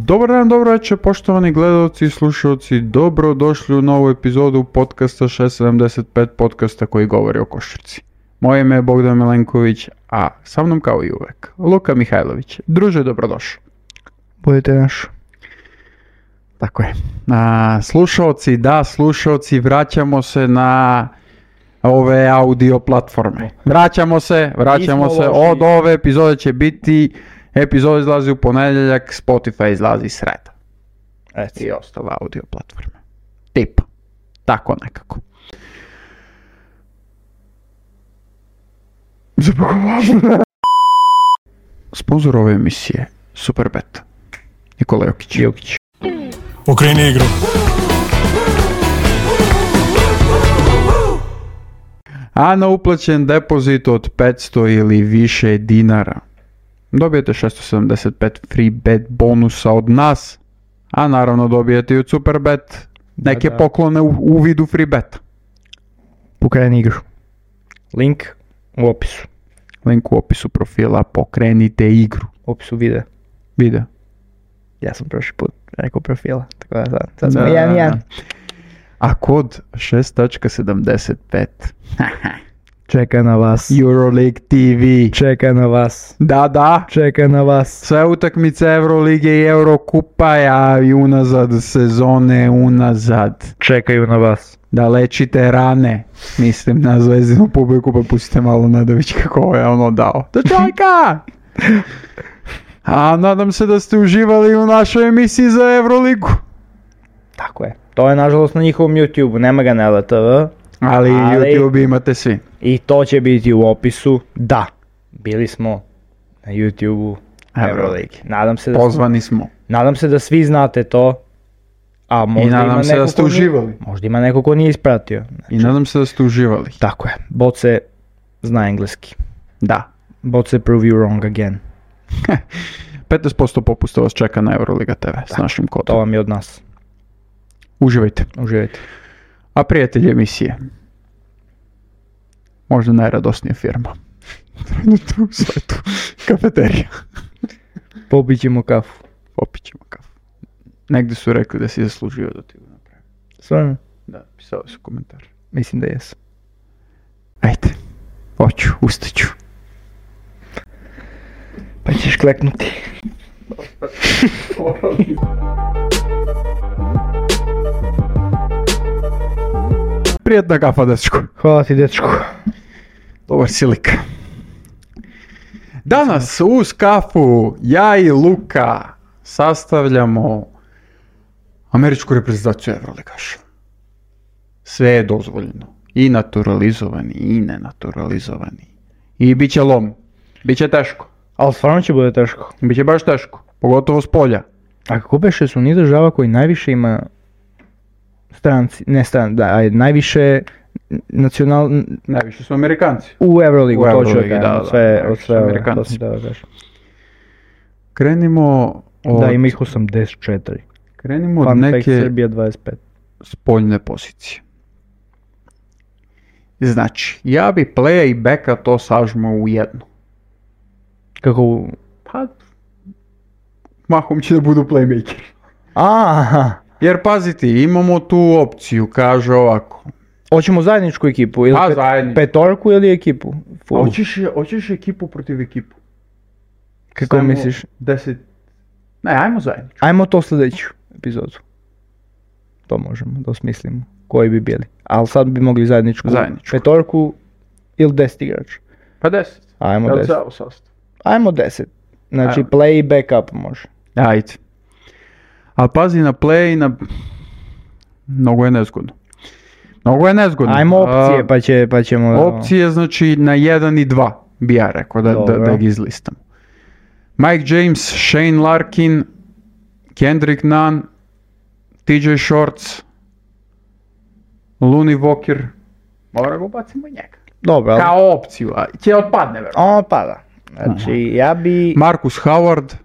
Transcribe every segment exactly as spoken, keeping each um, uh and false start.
Dobar dan, dobro večer, poštovani gledalci i slušalci, dobro došli u novu epizodu podcasta šest sedamdeset pet, podcasta koji govori o košarci. Moje ime je Bogdan Milenković, a sa mnom kao i uvek, Luka Mihajlović. Druže, dobrodošli. Budete naš. Tako je. A, slušalci, da, slušalci, vraćamo se na ove audio platforme. Vraćamo se, vraćamo se, od ove epizode će biti, epizode izlazi u ponedjeljak, Spotify izlazi sreda. Reci. I ostale audio platforme. Tip. Tako nekako. Sponzor ove emisije Superbet. Nikola Jokić. Jokić. Okreni igru. A na uplaćen depozit od petsto ili više dinara dobijete šesto sedamdeset pet free bet bonusa od nas, a naravno dobijete i od Superbet neke da, da. poklone u, u vidu free beta. Pokreni igru. Link u opisu. Link u opisu profila, pokrenite igru. U opisu videa. Video. Ja sam prošli put rekao profila, tako da sad, sad smo jedan jedan. A kod šest sedamdeset pet Čeka na vas. Euroleague T V. Čeka na vas. Da, da. Čeka na vas. Sve utakmice Eurolige i Eurokupa, a i unazad sezone, unazad. Čekaju na vas. Da lečite rane. Mislim na Zvezdinu publiku, pa pustite malo Nedović kako je ono dao. Da čovjeka! A nadam se da ste uživali u našoj emisiji za Euroligu. Tako je. To je nažalost na njihovom YouTube, nema ga na L T V. Ali, ali YouTube imate svi. I to će biti u opisu. Da, bili smo na YouTube-u Euroleague. Nadam se da Pozvani smo. Nadam se da svi znate to. A možda I nadam ima se neko da ste ko uživali. Nije, možda ima neko ko nije ispratio. Znači, I nadam se da ste uživali. Tako je. Boce zna engleski. Da. Boce prove you wrong again. petnaest posto popusta vas čeka na Euroliga T V s Tako, našim kodom. to vam je od nas. Uživajte. Uživajte. A prijatelji emisije. Možda najradosnija firma. Trenutno u svetu. Kafeterija. Popit ćemo kafu. Popit ćemo kafu. Negdje su rekli da si zaslužio da ti ga napravim. Stvarno? Da, pisali su komentar. Mislim da jesu. Ajde. Hoću, ustaću. Pa ćeš kleknuti. Prijetna kafa, dečko. Hvala ti, dečko. Dobar si lik. Danas uz kafu ja i Luka sastavljamo američku reprezentaciju Euroligaša. Sve je dozvoljeno. I naturalizovani, i nenaturalizovani. I bit će lom. Biće teško. Ali stvarno će bude teško. Biće baš teško. Pogotovo s polja. A kako beše su ni država koji najviše ima stranci, ne stranci, da, ajde, najviše nacional... Najviše su Amerikanci. U Euroligu, to ću Euroligi, da, da, od sve, da, od sve, Amerikanci. to sam da kažem. Krenimo od... Da, ima ih osamdeset četiri. Krenimo od Fun fact, neke Srbija dvadeset pet. spoljne pozicije. Znači, ja bi playa i backa to sažmo u jedno. Kako u... Pa, mahom će da budu playmaker. Aha! Jer pazite, imamo tu opciju, kaže ovako. Hoćemo zajedničku ekipu ili Pa, pet, zajedničku. petorku ili ekipu? Full. Hoćeš, hoćeš ekipu protiv ekipu? Kako Stavimo misliš? deset... Ne, ajmo zajedničku. Ajmo to sljedeću epizodu. To možemo da osmislimo. Koji bi bili. Ali sad bi mogli zajedničku, Zajedničku. petorku ili deset igrača. Pa deset. Ajmo Jel deset. ceo sastav? Ajmo deset. Znači Ajmo. play i backup može. Ajde. Ali pazi na play i na... Mnogo je nezgodno. Mnogo je nezgodno. Ajmo opcije A, pa, će, pa ćemo... Opcije znači na jedan i dva bi ja rekao da, da, da ih izlistam. Mike James, Shane Larkin, Kendrick Nunn, T J Shorts, Looney Walker. Mora ga ubacimo i njega. Dobro, ali... Kao opciju, a će otpadne verovatno. On pada. Znači ja bi... Marcus Howard,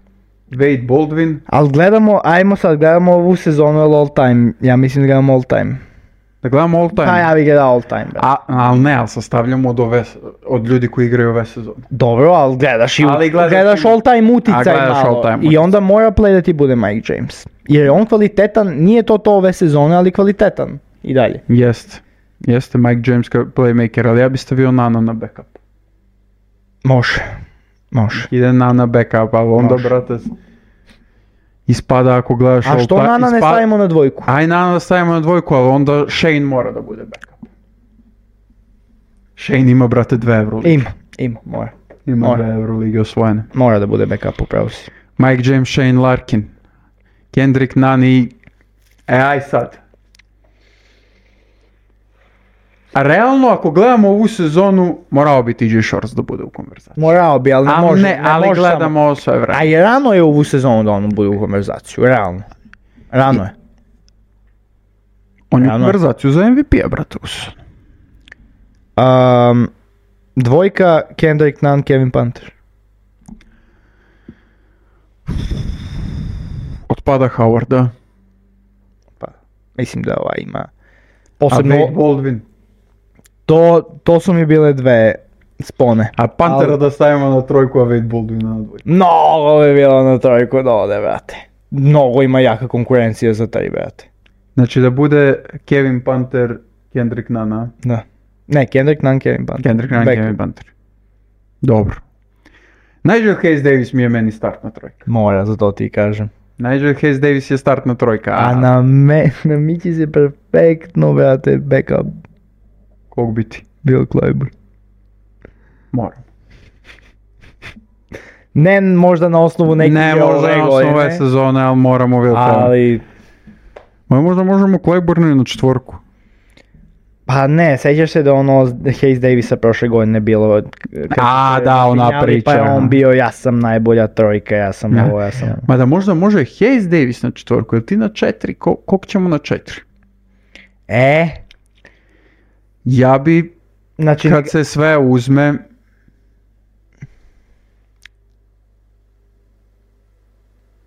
Wade Baldwin. Ali gledamo, ajmo sad, gledamo ovu sezonu all time. Ja mislim da gledamo all time. Da gledamo all time. Pa ja bih gledao all time, brate. A, ali ne, ali sastavljamo od, ove, od ljudi koji igraju ove sezone. Dobro, ali gledaš, i, Ali gledaš gledaš i- all time uticaj A gledaš malo. all time I uticaj. onda mora play da ti bude Mike James. Jer je on kvalitetan, nije to to ove sezone, ali kvalitetan. I dalje. Jeste. Jeste Mike James kao playmaker, ali ja bi stavio Nana na backup. Može. Može. Ide Nana backup, ali onda, Može. brate, ispada ako gledaš A all što time- Nana ne ispa- stavimo na dvojku? Aj Nana da stavimo na dvojku, ali onda Shane mora da bude backup. Shane ima, brate, dve Euroligi. Ima, ima, mora. Ima mora. dve Euroligi osvojene. Mora da bude backup, upravo si. Mike James, Shane Larkin, Kendrick Nunn i... E, aj sad. A realno, ako gledamo ovu sezonu, morao bi T J Shorts da bude u konverzaciji. Morao bi, ali ne Ali može. ne, ali može gledamo ovo sve samo. vreme. A i rano je ovu sezonu da on bude u konverzaciju, realno. Rano je. On je u Realno. konverzaciju za M V P-a, brate, u sezonu. Um, dvojka, Kendrick Nunn, Kevin Panther. Otpada Howard, da. Pa, mislim da ova ima. A Posebno, Wade Baldwin. to, to su mi bile dve spone. A Pantera Ali- da stavimo na trojku, a Wade Baldwin na dvojku. Mnogo bi bilo na trojku da ode, brate. Mnogo ima jaka konkurencija za taj, brate. Znači da bude Kevin Panther, Kendrick Nunn, a? Da. Ne, Kendrick Nunn, Kevin Panther. Kendrick Nunn, Back. Kevin Panther. Dobro. Nigel Hayes Davis mi je meni startna trojka. Mora, za to ti kažem. Nigel Hayes Davis je startna trojka, a, A na me, na Mići se perfektno, brate, backup kog biti? Bill Clyburn. Moram. Ne možda na osnovu nekih Ne ove možda na godine, osnovu ove sezone, ali moramo Will Clyburn. ali Ma možda možemo Clyburnu i na četvorku. pa ne, sećaš se da ono Hayes Davisa prošle godine bilo kad A, su se da, ona razminjali, priča, pa je on aha. bio ja sam najbolja trojka, ja sam Ja. ovo, ja sam ono. Mada možda može Hayes Davis na četvorku, ili ti na četiri, Ko, kog ćemo na četiri? E, Ja bi, znači kad se sve uzme,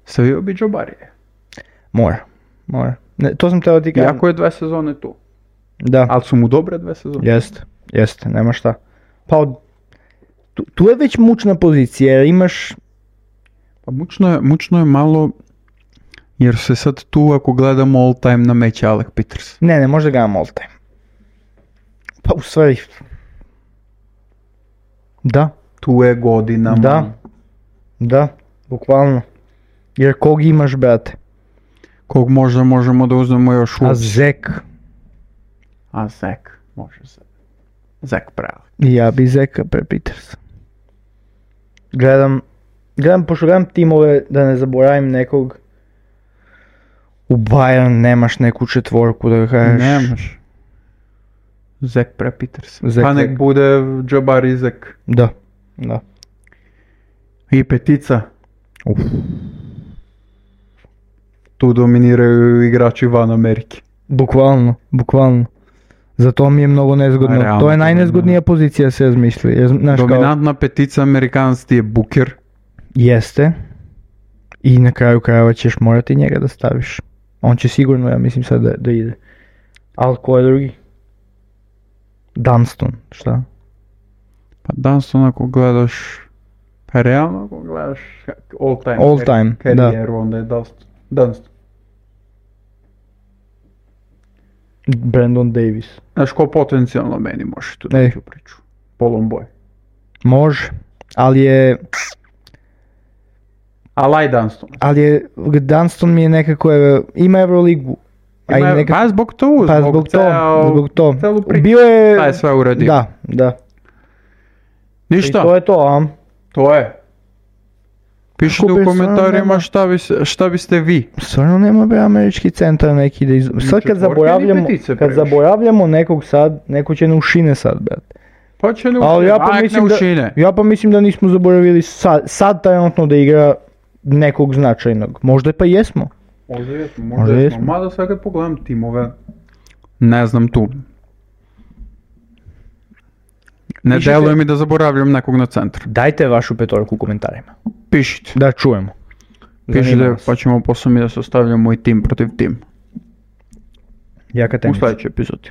stavio bi Jobarije. mora, mora. Ne, to sam teo ti kažem. Iako je dve sezone tu. Da. Ali su mu dobre dve sezone. Jeste, jeste, nema šta. Pa od- tu, tu je već mučna pozicija jer imaš, Pa mučno je, mučno je malo, jer se sad tu ako gledamo all time na meće Alec Peters. ne, ne može ga all time. Pa u stvari, da, Tu je godinama. Da. da, bukvalno. Jer kog imaš, brate? Kog možda možemo da uzmemo još u... A Zek. A Zek, može se. Zek pravi. Ja bi Zeka pre Petersa. Gledam, gledam, pošto gledam timove, da ne zaboravim nekog. U Bayern nemaš neku četvorku da kažeš. Nemaš. Zek pre Peters. Zek, Pa nek Zek. bude Jabari Zek. Da, da. I petica. Uf. Tu dominiraju igrači van Amerike. Bukvalno, bukvalno. Zato mi je mnogo nezgodno. A, realno, to je najnezgodnija pozicija se razmisli. Jer, znaš, kao, Dominantna petica Amerikanac ti je Booker. jeste. I na kraju krajeva ćeš morati njega da staviš. On će sigurno, ja mislim sad da, da ide. Ali ko je drugi? Dunston, šta? Pa Dunston ako gledaš... Pa realno ako gledaš all time, All time, karijeru, onda je Dunston. Dunston. Brandon Davis. Znaš ko potencijalno meni može tu Ej. doći u priču? Polon Boy. Može, ali je, Alaj Dunston. ali je, Dunston mi je nekako, je, ima Euroligu. A i Ima, nekako, pa zbog to, pa zbog, zbog to, ceo- zbog to. celu priču. Bio je, Šta je sve uradio? da, da. Ništa, I to je to, a? to je. Pišite Kupio u sam, komentarima nema. šta, bi, se- šta biste vi. Stvarno nema bre američki centar neki da iz... Sad kad četvorke ni zaboravljamo, petice kad previše. zaboravljamo nekog sad, neko će ne ušine sad, brate. Pa će ne Ali ušine, ja pa, ajk mislim ne da, ušine. ja pa mislim da nismo zaboravili sad, sad trenutno da igra nekog značajnog. Možda pa jesmo. Možda jesmo, možda, Možda jesmo. jesmo. Mada sad kad pogledam timove, ne znam tu. Ne Pišite- deluje mi da zaboravljam nekog na centru. Dajte vašu petorku u komentarima. Pišite. Da čujemo. Zanima Pišite nas. pa ćemo posle mi da se ostavljamo i tim protiv tim. Jaka u tenica. sljedećoj epizodi.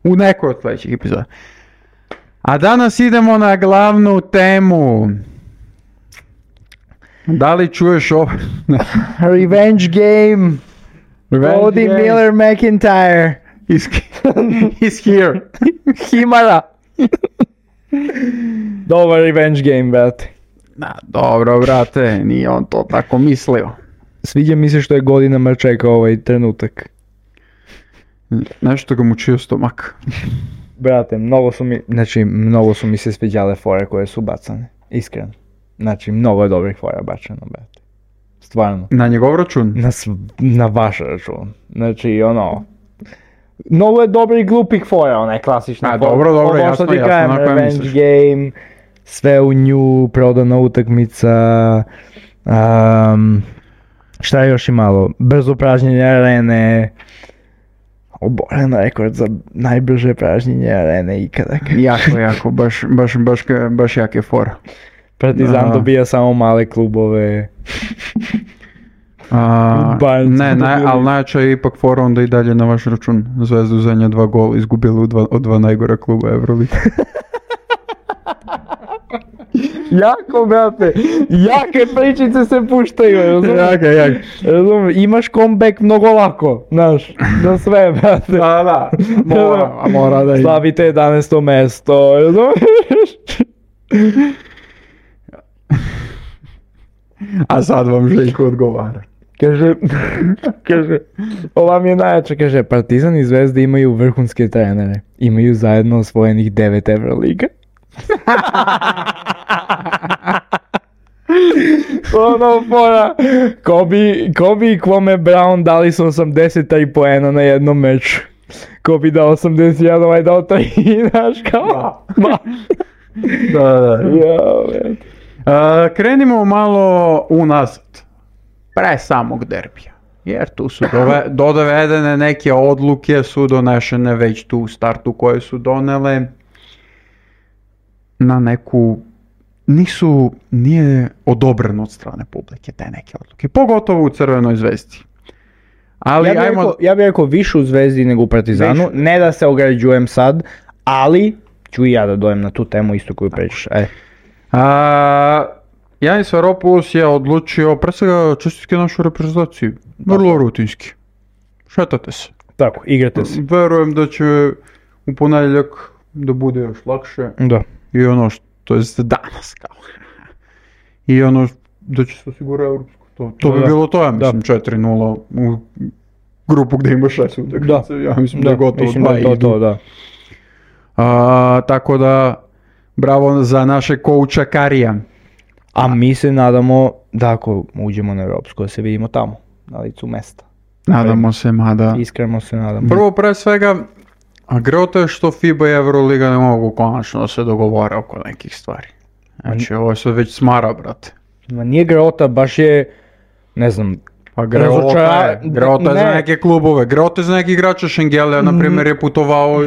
U nekoj od sljedećih epizoda. A danas idemo na glavnu temu. Da li čuješ ovo? Revenge game. Revenge Cody game. Miller McIntyre. He's, he's here. Himara. Dobar revenge game, brate. Da, dobro, brate, nije on to tako mislio. Sviđa mi se što je godinama čekao ovaj trenutak. Nešto ga mučio stomak. Brate, mnogo su mi, znači, mnogo su mi se sviđale fore koje su bacane. Iskreno. Znači, mnogo je dobrih fora bačeno, brate. Stvarno. Na njegov račun? Na, sv- na vaš račun. Znači, ono... Mnogo je dobrih glupih fora, onaj klasična A, fora. dobro, dobro, Ovo što jasno, ti jasno, kažem, na koje revenge misliš. game, sve u nju, prodana utakmica, um, šta je još imalo, brzo pražnjenje arene, oboren rekord za najbrže pražnjenje arene ikada. Jako, jako, baš, baš, baš, baš jak je fora. Partizan Aha. dobija samo male klubove. A, Bayern ne, smo ne, dobili. ali najjača je ipak fora onda i dalje na vaš račun. Zvezdu zadnja dva gola izgubili u dva, od dva najgora kluba Euroligi. Jako, brate, jake pričice se puštaju, razumiješ? Jaka, jak. Razumiješ, imaš comeback mnogo lako, znaš, za sve, brate. Da, da, mora, a mora da ide. Slavite jedanaesto mesto, razumiješ? A sad vam Željko odgovara. Kaže, kaže, ova mi je najjača, kaže, Partizan i Zvezda imaju vrhunske trenere, imaju zajedno osvojenih devet Euroliga. Ono fora, Kobe, Kobe i Kwame Brown dali su osamdeset tri poena na jednom meču. Kobe dao osamdeset jedan, ovaj dao tri, znaš kao? Ma. Da, da. Jao, man. A, krenimo malo unazad. Pre samog derbija. Jer tu su dove, dovedene neke odluke, su donešene već tu u startu koje su donele na neku, nisu, nije odobreno od strane publike te neke odluke, pogotovo u Crvenoj zvezdi. Ali Ja bih ajmo, rekao, ja bih rekao više u Zvezdi nego u Partizanu, Više. ne da se ograđujem sad, ali ću i ja da dojem na tu temu isto koju pričaš. E. a, Janis Varopoulos je odlučio, pre svega čestitke našu reprezentaciju, vrlo rutinski. Šetate se. Tako, igrate se. Verujem da će u ponedjeljak da bude još lakše Da. i ono što, to jest danas kao. I ono da će se osigurati europsko. To, to bi Da. bilo to, ja Da. mislim, četiri nula u grupu gdje ima šest utakmica. Ja mislim da, je gotovo mislim dva da je to, idu. to, da. A, tako da, bravo za naše kouča Karija. A mi se nadamo da ako uđemo na europsko, da se vidimo tamo, na licu mesta. Nadamo se, mada... Iskreno se nadamo. Prvo, pre svega, a grota je što FIBA i Euroliga ne mogu konačno da se dogovore oko nekih stvari. Znači, ovo je sve već smara, brate. Ma nije grota, baš je, ne znam, Pa Greota Razočara- je, Greota je za ne. neke klubove, Greota je za neki igrača Šengelija, na primjer, je putovao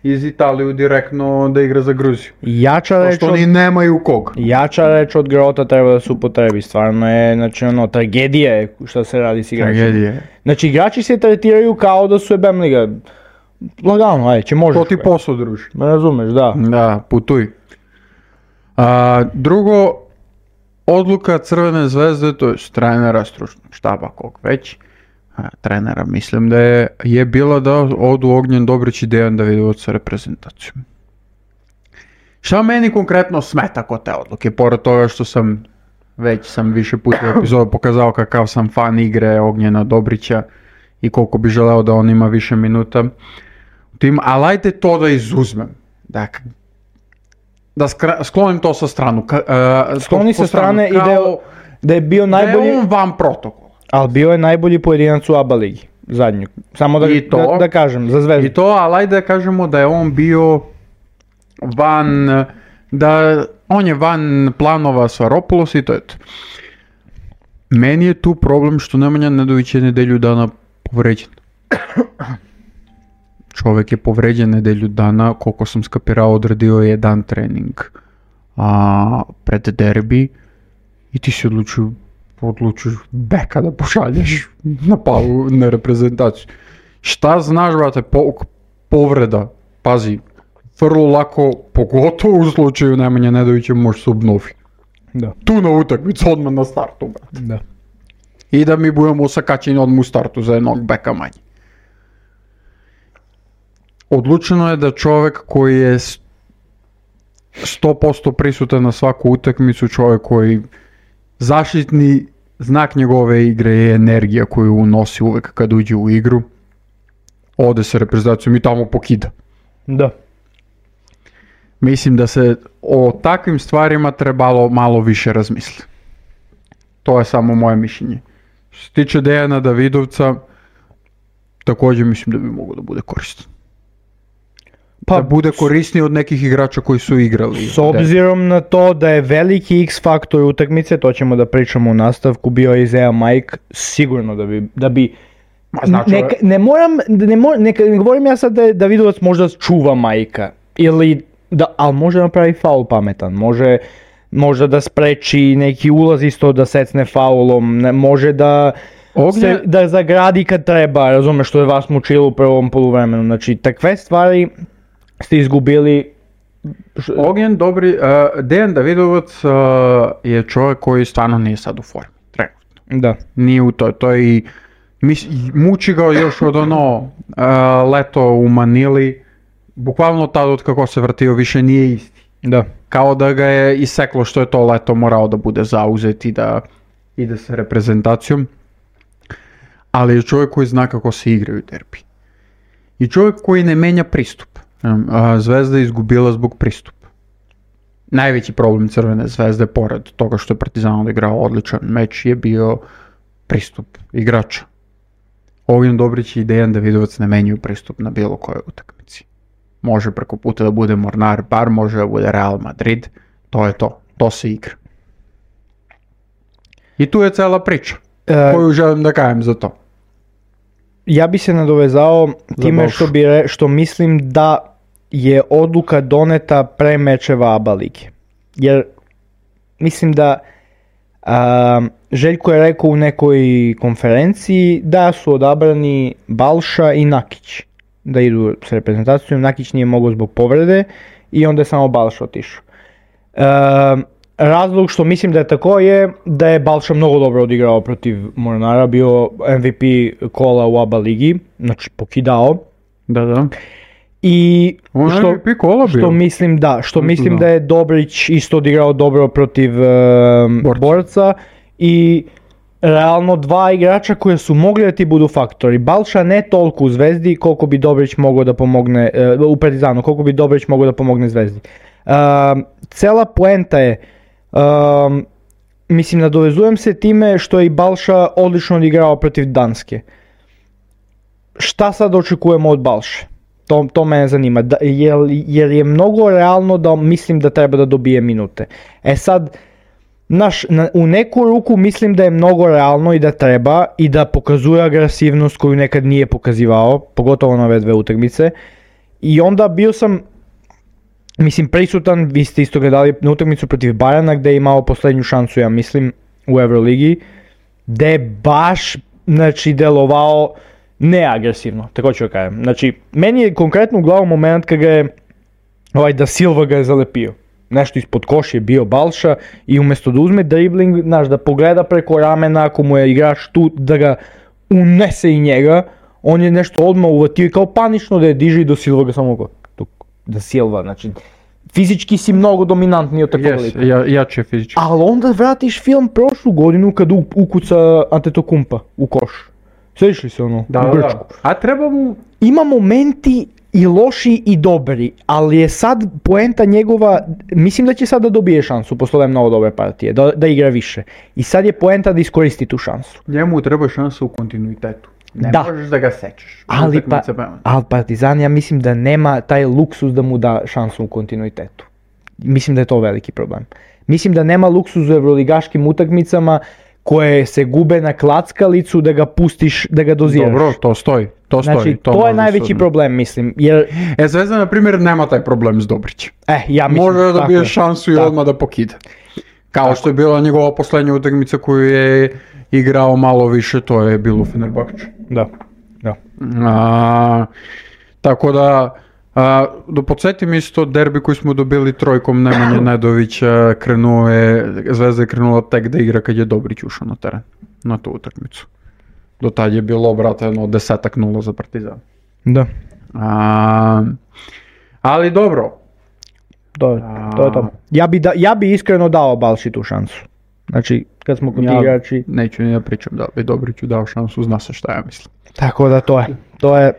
iz Italiju direktno da igra za Gruziju. jača reč Pošto od, oni nemaju kog. jača reč od grota treba da se upotrebi. Stvarno je, znači ono, tragedija je šta se radi s igračima. Tragedije. Znači igrači se tretiraju kao da su jebem liga. Lagano, aj, će možeš. To ti bre. posao, druži. Ne razumeš, da. Da, putuj. A, drugo, odluka Crvene zvezde, to je trenera stručnog štaba, kog već, a, trenera, mislim da je, je bila da odu Ognjen Dobrić i Dejan Davidovac sa reprezentacijom. Šta meni konkretno smeta kod te odluke, pored toga što sam, već sam više puta u epizodu pokazao kakav sam fan igre Ognjena Dobrića i koliko bi želeo da on ima više minuta u tim, ali ajde to da izuzmem. Dakle, da skra- sklonim to sa stranu. Ka, uh, Skloni po sa strane i kao da je, da je bio da je najbolji, on van protokola. ali bio je najbolji pojedinac u A B A ligi. Zadnju. Samo da, I to. da, da kažem, za Zvezdu. I to, ali ajde da kažemo da je on bio van, da on je van planova Svaropoulos i to je to. Meni je tu problem što Nemanja Nedović je nedelju dana povređen. Čovjek je povređen nedelju dana, koliko sam skapirao, odradio je jedan trening a, pred derbi i ti si odlučio, odlučio beka da pošalješ na palu na reprezentaciju. Šta znaš, brate, po, povreda, pazi, vrlo lako, pogotovo u slučaju Nemanje Nedovića, može se obnovi. Da. Tu na utakmicu, odmah na startu, brate. Da. I da mi budemo osakaćeni odmah u startu za jednog beka manje. Odlučeno je da čovjek koji je sto posto prisutan na svaku utakmicu, čovjek koji zaštitni znak njegove igre je energija koju unosi uvek kad uđe u igru, ode sa reprezentacijom i tamo pokida. Da. Mislim da se o takvim stvarima trebalo malo više razmisliti. To je samo moje mišljenje. Što se tiče Dejana Davidovca, također mislim da bi mogao da bude koristan. Pa, da bude korisniji od nekih igrača koji su igrali. S obzirom na to da je veliki X faktor utakmice, to ćemo da pričamo u nastavku, bio je Isaiah Mike, sigurno da bi... Da bi znači, neka, ne moram, ne, mor, neka, ne govorim ja sad da je Davidovac možda čuva Majka, ili da, ali može napravi faul pametan, može možda da spreči neki ulaz isto da secne faulom, ne, može da... Ognje... Se, da zagradi kad treba, razumeš, što je vas mučilo u prvom poluvremenu, znači takve stvari ste izgubili. Ognjen, dobri, uh, Dejan Davidovac uh, je čovjek koji stvarno nije sad u formi, trenutno. Da. Nije u toj, to je i mis, muči ga još od ono uh, leto u Manili, bukvalno tad od kako se vrtio više nije isti. Da. Kao da ga je iseklo što je to leto morao da bude zauzet i da ide sa reprezentacijom. Ali je čovjek koji zna kako se igraju derbi. I čovjek koji ne menja pristup. Zvezda je izgubila zbog pristupa. Najveći problem Crvene zvezde, pored toga što je Partizan odigrao odličan meč, je bio pristup igrača. Ognjen Dobrić i Dejan Davidovac ne menjaju pristup na bilo kojoj utakmici. Može preko puta da bude Mornar, bar može da bude Real Madrid. To je to. To se igra. I tu je cela priča. Koju želim da kajem za to. Ja bi se nadovezao time što, bi re, što mislim da je odluka doneta pre mečeva A B A lige. Jer mislim da a, Željko je rekao u nekoj konferenciji da su odabrani Balša i Nakić da idu s reprezentacijom. Nakić nije mogao zbog povrede i onda je samo Balša otišao. A, Razlog što mislim da je tako je da je Balša mnogo dobro odigrao protiv Mornara, bio M V P kola u A B A ligi, znači pokidao. Da, da. I on što, M V P kola bio. Što mislim da, što mislim da. da je Dobrić isto odigrao dobro protiv uh, borca. borca i realno dva igrača koje su mogli da ti budu faktori. Balša ne toliko u Zvezdi koliko bi Dobrić mogao da pomogne, uh, u Partizanu, koliko bi Dobrić mogao da pomogne Zvezdi. Uh, cela poenta je, Um, mislim, nadovezujem se time što je i Balša odlično odigrao protiv Danske. Šta sad očekujemo od Balše? To, to mene zanima. Da, jer, jer je mnogo realno da mislim da treba da dobije minute. E sad, naš, na, u neku ruku mislim da je mnogo realno i da treba i da pokazuje agresivnost koju nekad nije pokazivao, pogotovo na ove dve utakmice. I onda bio sam... Mislim, prisutan, vi ste isto gledali na utakmicu protiv Bayerna gdje je imao posljednju šansu, ja mislim, u Euroligi, gdje je baš, znači, delovao neagresivno, tako ću kažem. Znači, meni je konkretno u glavu moment kad ga je, ovaj, da Silva ga je zalepio. Nešto ispod koš je bio Balša i umjesto da uzme dribling, znaš, da pogleda preko ramena ako mu je igrač tu, da ga unese i njega, on je nešto odmah uvatio i kao panično da je diže i do Silva ga samo go. Da Silva, znači, fizički si mnogo dominantniji od takvog lika. Ja, jače fizički. Ali onda vratiš film prošlu godinu kad ukuca Antetokounmpa u koš. Sjediš li se ono, da, u Grčku? Da. A treba mu... Ima momenti i loši i dobri, ali je sad poenta njegova, mislim da će sad da dobije šansu posle ove mnogo dobre partije, da, da igra više. I sad je poenta da iskoristi tu šansu. Njemu treba šansa u kontinuitetu. Ne da. možeš da ga sećaš. Ali, pa, ali Partizan, ja mislim da nema taj luksus da mu da šansu u kontinuitetu. Mislim da je to veliki problem. Mislim da nema luksus u evroligaškim utakmicama koje se gube na klackalicu da ga pustiš, da ga doziraš. Dobro, to stoji. To, znači, stoji, to, to je najveći sudno. problem, mislim. Jer... E, Zvezda, na primjer, nema taj problem s Dobrićem. E, ja mislim, može da dobije šansu i tako. Odmah da pokida. Kao tako. Što je bila njegova posljednja utakmica koju je igrao malo više, to je bilo u Fenerbahču. Da, da. A, tako da, a, da podsjetim isto derbi koji smo dobili trojkom Nemanja Nedovića, krenuo je, Zvezda je krenula tek da igra kad je Dobrić ušao na teren, na tu utakmicu. Do tad je bilo, brate, jedno desetak nula za Partizan. Da. A, ali dobro. To je to. Je to. Ja, bi da, ja bi iskreno dao Balši tu šansu. Znači, kad smo kod ja igrači... Neću ni da pričam da bi Dobriću dao šansu, zna se šta ja mislim. Tako da to je. To je...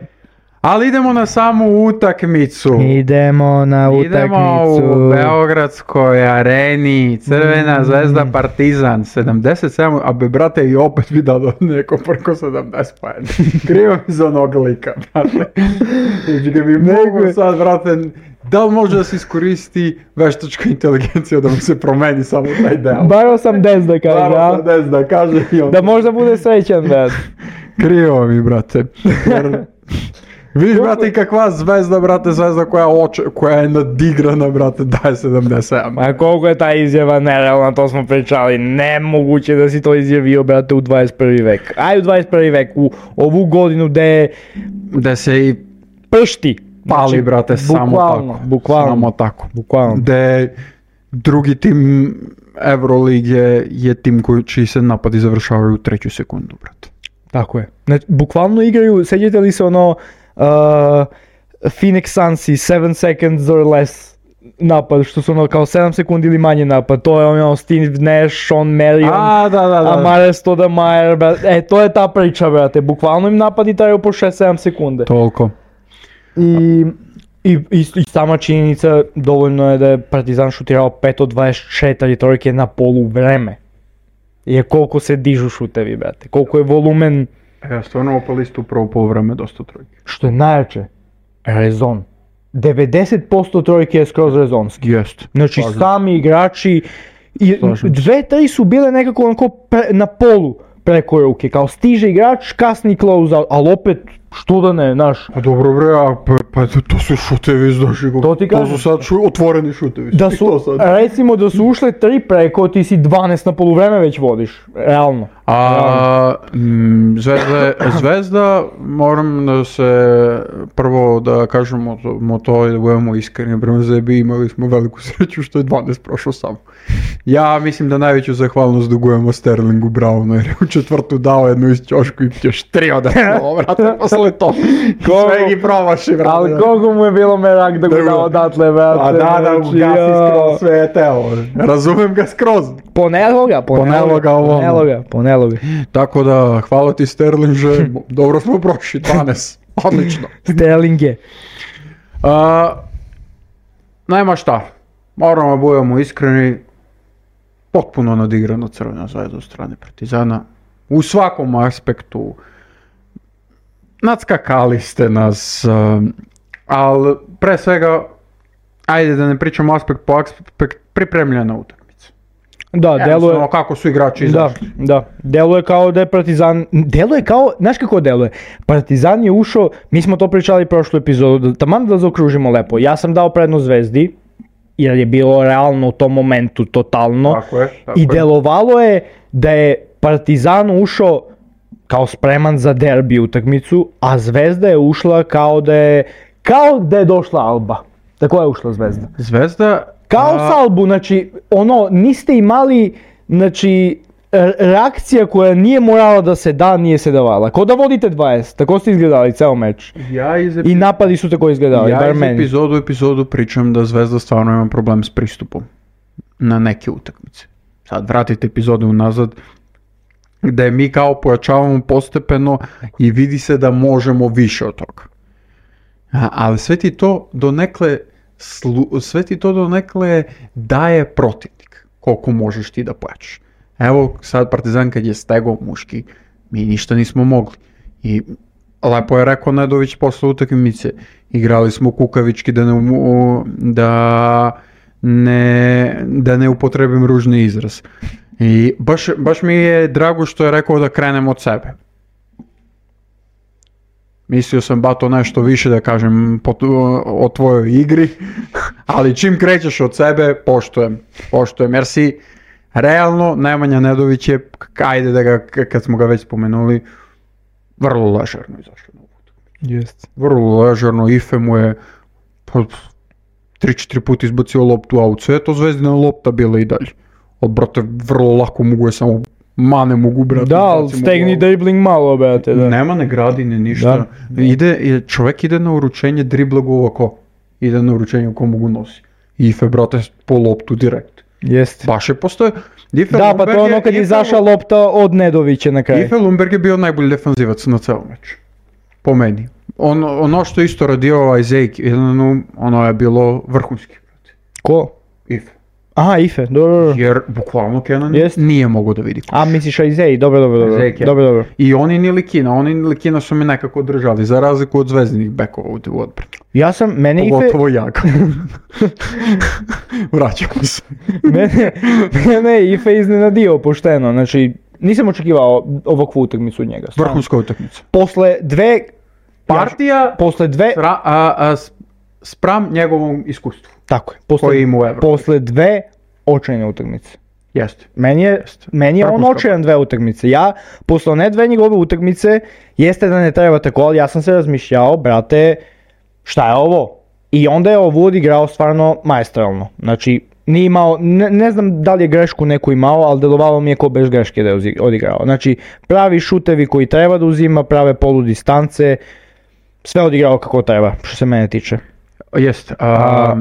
Ali idemo na samu utakmicu. Idemo na utakmicu. Idemo u Beogradskoj areni, Crvena Zvezda Partizan, sedamdeset sedam, a be brate i opet bi dao neko preko sedamdeset poena. Krivo mi za onog lika, brate. Znači ga bi mogu sad, brate, da li može da se iskoristi veštačka inteligencija da mu se promeni samo taj deo? Bar osamdeset da kaže, Bar osamdeset da kaže i on. Da možda bude srećan, brate. Krivo mi, brate. Jer... Vidiš, brate, i kakva Zvezda, brate, Zvezda koja, oče, koja je nadigrana, brate, daje sedamdeset sedam. A koliko je ta izjava nerealna, to smo pričali, nemoguće da si to izjavio, brate, u dvadeset prvi vek. Aj u dvadeset prvi vek, u ovu godinu gde... Gde se i pršti. Pali, znači, brate, samo bukvalno, tako. Bukvalno, samo tako. Bukvalno. Gde drugi tim Evrolige je tim koji, čiji se napadi završavaju u treću sekundu, brate. Tako je. Znači, bukvalno igraju, sećate li se ono... Uh, Phoenix Sunsi, seven seconds or less napad, što su ono kao sedam sekundi ili manje napad, to je ono Steve Nash, Sean Marion, A, da, da, da. Amare Stoudemire, e, to je ta priča, brate, bukvalno im napadi traju po šest sedam sekunde. Toliko. I, i, i, i sama činjenica, dovoljno je da je Partizan šutirao pet od dvadeset četiri trojke na polu vreme. Je koliko se dižu šutevi, brate, koliko je volumen. Ja stvarno opali istu prvo poluvreme dosta trojke. Što je najjače, rezon. devedeset posto trojke je skroz rezonski. Jest. Znači Slažem. Sami igrači, i dve, tri su bile nekako onako pre, na polu preko ruke, kao stiže igrač, kasni close out, ali opet što da ne, znaš. Pa dobro bre, a pa, pa to su šutevi, znaš, to, ti to su sad šu, otvoreni šutevi. Da su, recimo da su ušle tri preko, ti si dvanaest na poluvreme već vodiš, realno. A m, Zvezda, Zvezda, moram da se prvo da kažemo to, to i da budemo iskreni, prema Zebi imali smo veliku sreću što je dvanaest prošlo samo. Ja mislim da najveću zahvalnost dugujemo Sterlingu Brownu jer je u četvrtu dao jednu iz ćošku i još tri odatle, vrate, posle to. Sve ih promaši, vrate. Ali koliko mu je bilo merak da ga dao odatle, vrate. A da, da, gasi skroz sve je telo. Razumem ga skroz. Ponelo ga, ponelo ga, ponelo ga, ponelo ga. Tako da, hvala ti Sterlinže, dobro smo prošli, dvanaest, odlično. Sterlinge. Uh, nema šta, moramo da budemo iskreni, potpuno nadigrana Crvena Zvezda od strane Partizana, u svakom aspektu, nadskakali ste nas, uh, ali pre svega, ajde da ne pričamo aspekt po aspekt, pripremljena utakmica. Da, deluje... Ono kako su igrači izašli. Da, da, deluje kao da je Partizan, deluje kao, znaš kako deluje? Partizan je ušao, mi smo to pričali prošlu epizodu, taman da zaokružimo lepo, ja sam dao prednost Zvezdi, jer je bilo realno u tom momentu totalno, tako je, tako i je. delovalo je da je Partizan ušao kao spreman za derbi utakmicu, a Zvezda je ušla kao da je, kao da je došla Alba. Tako je ušla Zvezda. Zvezda... Kao a... Salbu, znači, ono, niste imali, znači, reakcija koja nije morala da se da, nije se davala. Ko da vodite dvadeset, tako ste izgledali ceo meč. Ja iz epi... I napadi su tako izgledali, ja bar iz meni. epizodu u epizodu pričam da Zvezda stvarno ima problem s pristupom na neke utakmice. Sad vratite epizodu unazad, gde mi kao pojačavamo postepeno i vidi se da možemo više od toga. A, ali sve ti to donekle, slu, sve ti to donekle daje protivnik, koliko možeš ti da pojačaš. Evo sad Partizan kad je stegao muški, mi ništa nismo mogli. I lepo je rekao Nedović posle utakmice, igrali smo kukavički da ne, da ne, da ne upotrebim ružni izraz. I baš, baš mi je drago što je rekao da krenem od sebe. Mislio sam ba to nešto više da kažem po, o tvojoj igri, ali čim krećeš od sebe, poštujem. Poštujem, jer si realno, Nemanja Nedović je, ajde da ga, kad smo ga već spomenuli, vrlo ležerno izašao na utakmicu. Jest. Vrlo ležerno, Ife mu je pa, tri četiri puta izbacio loptu out, sve je to Zvezdina lopta bila i dalje. Ali, brate, vrlo lako mogu je samo mane mogu, brate. Da, ali stegni dribling malo, brate, da. Nema ne gradi, ne ništa. Da. Ide, čovjek ide na uručenje, dribla go ovako. Ide na uručenje ko mogu nosi. Ife, brate, po loptu direkt. Jest. Baš je postoje. Ife da, Lundberg pa to je ono kad je izašla lopta od Nedovića na kraju. Ife Lundberg je bio najbolji defanzivac na celom meču. Po meni. On, ono što isto radio ovaj Zejk, ono je bilo vrhunski. Ko? Ife. Aha, Ife, dobro. Jer bukvalno Kenan yes. nije mogao da vidi koš. A misliš Izej, dobro, dobro, dobro. Zejk, dobro, dobro. I oni ni Likina, oni ni Likina su mi nekako držali, za razliku od Zvezdinih bekova u odbrani. Ja sam, mene Ife... Pogotovo Jaga. Vraćamo se. mene, mene je Ife iznenadio pošteno, znači nisam očekivao ovakvu utakmicu od njega. Vrhunska utakmica. Posle dve... Partija, ja, posle dve... Sra, a, a, spram njegovom iskustvu. Tako je. Posle, koji ima u Evropi. Posle dve očajne utakmice. Jeste. Meni je, Jeste. Meni je on očajan dve utakmice. Ja, posle ne dve njegove utakmice, jeste da ne treba tako, ali ja sam se razmišljao, brate, šta je ovo? I onda je ovo odigrao stvarno maestralno. Znači, nije imao, ne, ne znam da li je grešku neku imao, ali delovalo mi je ko bez greške da je odigrao. Znači, pravi šutevi koji treba da uzima, prave polu distance, sve odigrao kako treba, što se mene tiče. Jeste. A,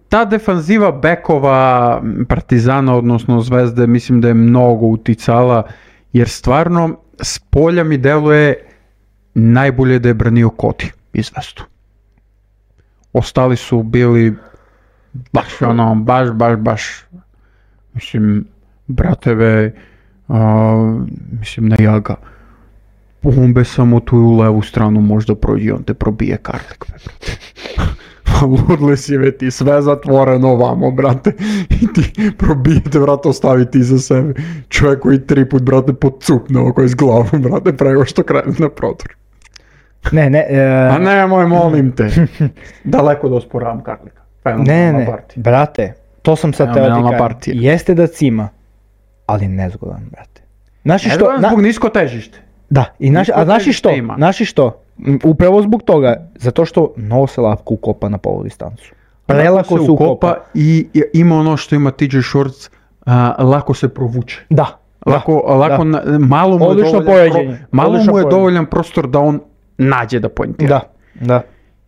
ta defanziva bekova Partizana, odnosno Zvezde, mislim da je mnogo uticala, jer stvarno s polja mi deluje najbolje da je branio Koti i Zvezdu. Ostali su bili baš ono, baš, baš, baš, mislim, brateve, a, mislim, na Jaga. On be samo tu u levu stranu možda prođe, on te probije Karlik. Ludli si ve ti, sve zatvoreno ovamo, brate, i ti probijete, brate, ostaviti iza sebe. Čovjek koji tri put, brate, podcupne oko iz glavu, brate, prego što krene na prodor. Ne, ne. Uh... A nemoj, molim te. Daleko da osporavam Karlika. Ne, ne, partija. Brate, to sam sad teo ti kažem. Jeste da cima, ali nezgodan, brate. Znaš što? Nezgodan zbog nisko težište. Da, i naši, a znaš što? Znaš što? Upravo zbog toga, zato što mnogo se lako ukopa na polu distancu. Prelako se ukopa i ima ono što ima T J Shorts, uh, lako se provuče. Da. Lako, da, lako da. Na, malo mu je, dovoljan, pro, malo mu je poređenje. dovoljan prostor da on nađe da pointira. Da, da.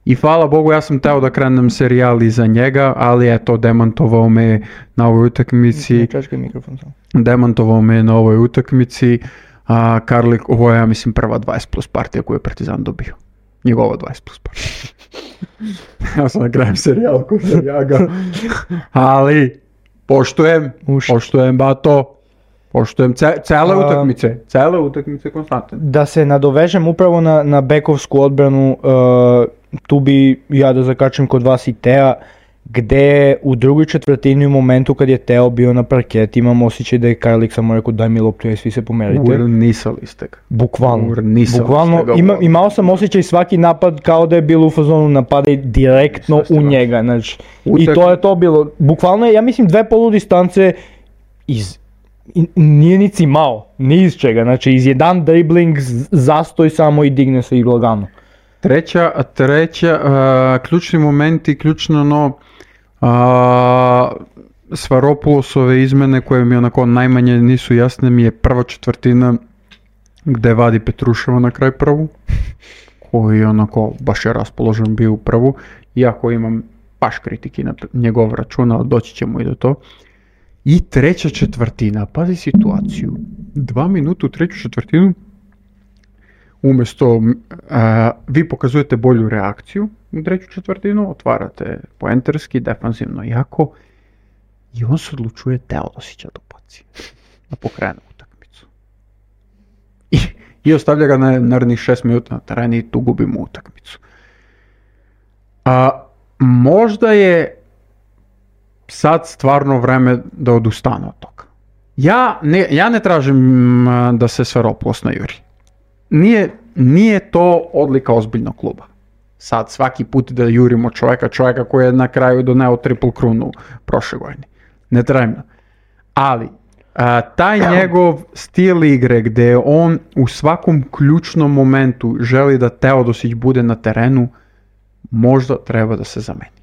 I hvala Bogu, ja sam teo da krenem serijal iza njega, ali eto, demantovao me na ovoj utakmici. Čačkaj mikrofon sam. Demantovao me na ovoj utakmici. A Karlik, ovo je, ja mislim, prva dvadeset plus partija koju je Partizan dobio. Njegova dvadeset plus partija. Ja sam na krajem serijal ko se Jaga. Ali, poštujem, Uš. poštujem Bato. Poštujem ce, cele A, utakmice, cele utakmice konstantne. Da se nadovežem upravo na, na bekovsku odbranu, uh, tu bi ja da zakačem kod vas i Tea, gde u drugoj četvrtini u momentu kad je Teo bio na parket, imam osjećaj da je Karlik samo rekao daj mi loptu i svi se pomerite. Urnisali ste ga. Bukvalno. Urnisali Bukvalno, ste ga. Ima, imao sam osjećaj svaki napad kao da je bilo u fazonu napada direktno u njega. Znači, i to je to bilo. Bukvalno je, ja mislim, dve polu distance iz... I, nije ni cimao, ni iz čega, znači iz jedan dribling zastoj samo i digne se i lagano. Treća, treća, uh, ključni moment i ključno ono, uh, Svaropulosove izmene koje mi onako najmanje nisu jasne mi je prva četvrtina gde vadi Petruševa na kraj prvu, koji onako baš je raspoložen bio u prvu, iako imam baš kritiki na njegov račun, ali doći ćemo i do to. I treća četvrtina, pazi situaciju, dva minuta u treću četvrtinu, umjesto uh, vi pokazujete bolju reakciju u treću četvrtinu, otvarate poenterski, defanzivno jako, i on se odlučuje Teodosića da ubaci, da pokrene utakmicu. I, i ostavlja ga na narednih šest minuta na terenu i tu gubimo utakmicu. Uh, možda je sad stvarno vreme da odustane od toga. Ja ne, ja ne tražim uh, da se Svaropoulos najuri. Nije, nije to odlika ozbiljnog kluba. Sad svaki put da jurimo čovjeka, čovjeka koji je na kraju doneo triple krunu prošle godine. Ne trebno. Ali, A, taj njegov stil igre gdje on u svakom ključnom momentu želi da Teodosić bude na terenu, možda treba da se zameni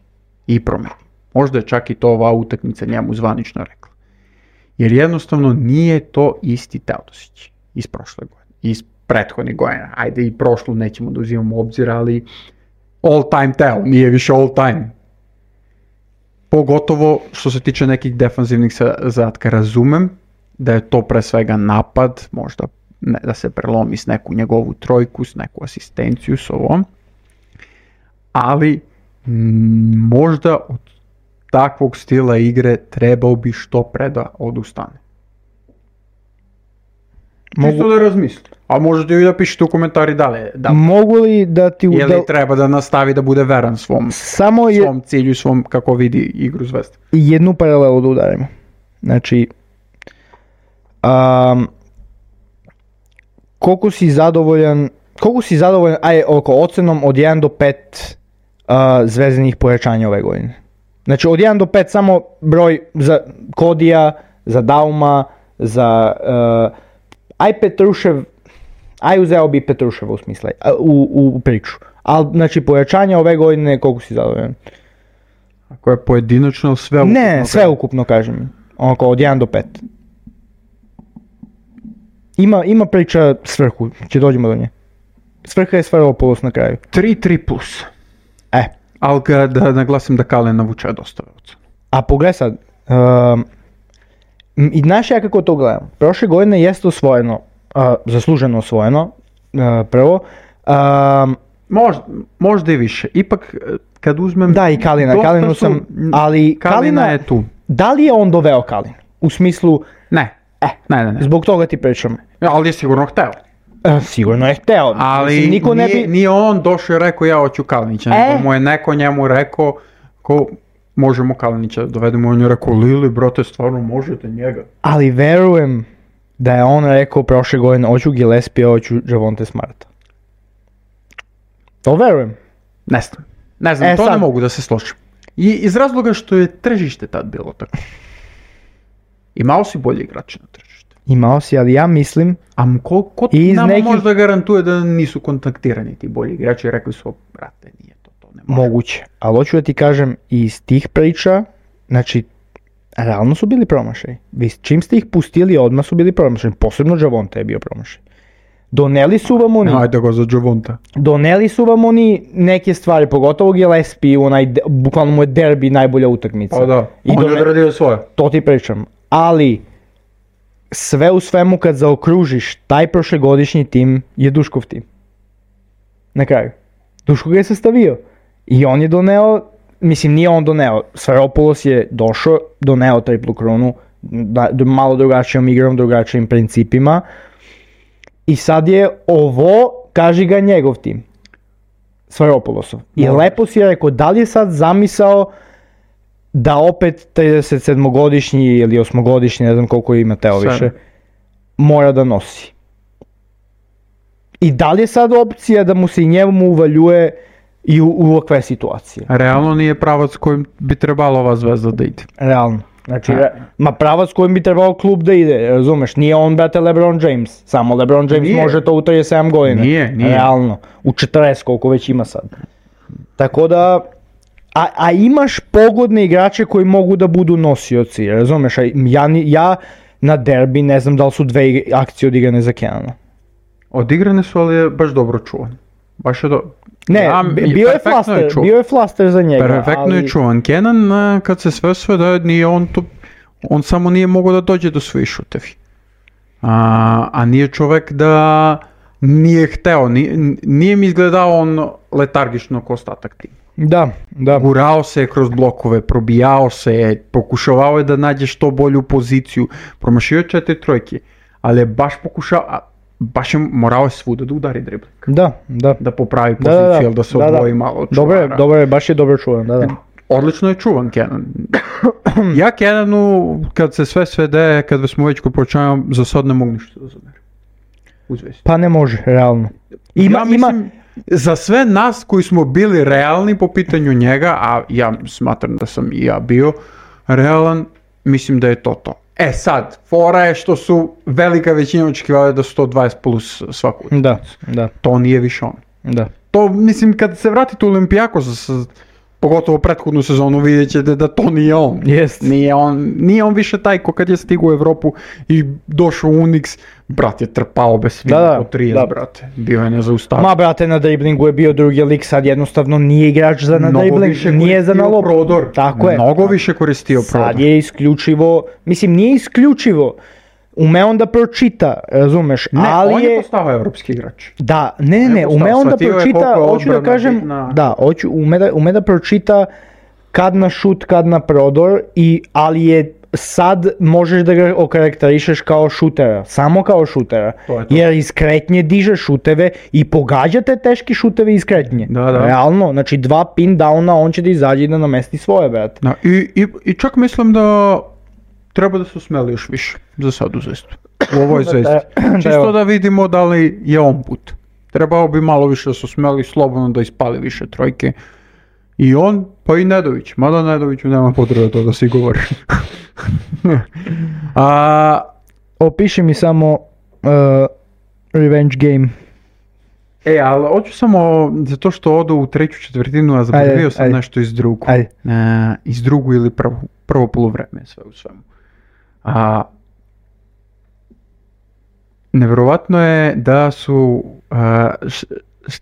i promeni. Možda je čak i to ova utakmica njemu zvanično rekla. Jer jednostavno nije to isti Teodosić iz prošle godine, iz prethodnih godina. Ajde i prošlu nećemo da uzimamo u obzir, ali all time Teo, nije više all time. Pogotovo što se tiče nekih defanzivnih zadatka, razumem da je to pre svega napad, možda ne, da se prelomi s neku njegovu trojku, s neku asistenciju, s ovom, ali m, možda od takvog stila igre trebao bi što pre da odustane. Mogu da razmisli. A možete i da pišete u komentari da li, da li mogu li da ti je li treba da nastavi da bude veran svom, samo je, svom cilju, svom kako vidi igru Zvezde. Jednu paralelu da udarimo. Znači, um, koliko si zadovoljan, koliko si zadovoljan, aj oko ocenom od jedan do pet uh, zvezdinih pojačanja ove godine. Znači od jedan do pet samo broj za Kodija, za Dauma, za uh, aj Petrušev, aj uzeo bi Petruševa u smislu, u, u priču. Ali znači pojačanja ove godine koliko si zadovoljan? Ako je pojedinačno sve ukupno? Ne, sve ukupno kažem. Oko od jedan do pet. Ima, ima priča svrhu, će dođemo do nje. Svrha je Sfairopoulos na kraju. tri tri plus. E. Ali da naglasim da Kalin navučuje dosta ocenu. A pogledaj sad, um, i znaš ja kako to gledam. Prošle godine jeste osvojeno, uh, zasluženo osvojeno, uh, prvo. Um, možda, možda i više. Ipak kad uzmem... Da, i Kalina. Kalinu sam, ali Kalina, Kalina je tu. Da li je on doveo Kalin? U smislu... Ne. E, ne, ne, ne. Zbog toga ti pričam. Ali je sigurno hteo. E, sigurno je hteo. Ali Mislim, niko nije, ne bi... nije on došao i rekao ja hoću Kalinića. E? Nego mu je neko njemu rekao ko možemo Kalinića dovedemo. On je rekao Lili, brate, stvarno možete njega. Ali verujem da je on rekao prošle godine hoću Gillespie, hoću Javonte Smarta. To verujem. Ne znam. Ne znam, e, to sad. ne mogu da se složim. I iz razloga što je tržište tad bilo tako. Imao si bolji igrače na tržište. Imao si, ali ja mislim... A ko, ko nama nekih... možda garantuje da nisu kontaktirani ti bolji igrači i rekli su, brate, nije to, to ne može. Moguće, ali hoću da ti kažem, iz tih priča, znači, realno su bili promašaj. Vi čim ste ih pustili, odmah su bili promašaj. Posebno Javonte je bio promašaj. Doneli su vam oni... Ajde go za Javonte. Doneli su vam oni neke stvari, pogotovo Gillespie, onaj, bukvalno mu je derbi najbolja utakmica. O da, I on done... je odradio svoje. To ti pričam, ali... Sve u svemu kad zaokružiš, taj prošlegodišnji tim je Duškov tim. Na kraju. Duško ga je sastavio. I on je doneo, mislim nije on doneo, Sfairopoulos je došao, doneo triplu krunu, da, malo drugačijom igrom, drugačijim principima. I sad je ovo, kaži ga njegov tim. Sfairopoulosov. I no. Lepo si je rekao, da li je sad zamisao da opet trideset sedmogodišnji ili osmogodišnji, ne znam koliko ima Teo više, mora da nosi. I da li je sad opcija da mu se i njemu uvaljuje i u, u ovakve situacije? Realno nije pravac kojim bi trebalo ova Zvezda da ide. Realno. Znači, re, ma pravac kojim bi trebao klub da ide, razumeš? Nije on, brate, LeBron James. Samo LeBron James nije. Može to u trideset sedam godina. Nije, nije. Realno. U četrdeset koliko već ima sad. Tako da... A, a imaš pogodne igrače koji mogu da budu nosioci, razumeš? Ja, ja na derbi ne znam da li su dve akcije odigrane za Kenana. Odigrane su, ali je baš dobro čuvan. Baš je do... Ne, ja, bio, je flaster, je bio je flaster za njega. Perfektno ali... je čuvan. Kenan, kad se sve sve da nije on tu, on samo nije mogao da dođe do svojih šutevi. A, a nije čovek da nije hteo, nije, nije mi izgledao on letargično ko ostatak tima. Da, da. Gurao se kroz blokove, probijao se, pokušavao je da nađe što bolju poziciju, promašio je četiri trojke, ali je baš pokušao, baš je morao je svuda da udari dribling. Da, da. Da popravi poziciju, da, da, da, da se da, odvoji da. malo od čuvara. Dobro, dobro je, baš je dobro čuvan, da, da. Odlično je čuvan Kenan. Ja Kenanu, kad se sve svede, kad smo već počinjamo, za sad ne mogu ništa da zamerim. Uzvesti. Pa ne može, realno. Ima, ja mislim, ima... Za sve nas koji smo bili realni po pitanju njega, a ja smatram da sam i ja bio realan, mislim da je to to. E sad, fora je što su velika većina očekivali da su to dvadeset plus svaku. Da, da. To nije više on. Da. To, mislim, kad se vratite u Olympiakos, pogotovo prethodnu sezonu, vidjet ćete da to nije on. Jest. Nije on, nije on više taj ko kad je stigao u Evropu i došao u Unix, brat je trpao bez svima da, da, po trideset, da. brate. Bio je nezaustavljiv. Ma, brate, na driblingu je bio drugi lik, sad jednostavno nije igrač za na dribling, nije za na loptu. Prodor. Tako je. Mnogo više koristio prodor. Sad je isključivo, mislim, nije isključivo, ume on da pročita, razumeš, ne, ali on je je... postao evropski igrač. Da, ne, ne, ne, ume on da pročita, hoću da kažem, bitna. da, hoću, ume da, ume da pročita kad na šut, kad na prodor, i, ali je sad možeš da ga okarakterišeš kao šutera, samo kao šutera, to je to. Jer iz kretnje diže šuteve i pogađate teški šuteve iz kretnje. Da, da. Realno, znači dva pin downa, on će da izađe i da namesti svoje, brate. Da, i, i, i čak mislim da treba da se usmeli još više za sad u Zvezdu. U ovoj Zvezdi. Čisto da vidimo da li je on put. Trebao bi malo više da se usmeli, slobodno da ispali više trojke. I on, pa i Nedović. Mada Nedoviću nema potrebe to da si govori. A, opiši mi samo uh, revenge game. E, ali hoću samo, zato što odu u treću četvrtinu, a zaboravio sam ajde. nešto iz drugu. Ajde. Uh, iz drugu ili prvo, prvo poluvreme, sve u svemu. A, nevjerovatno je da su, uh, š, š,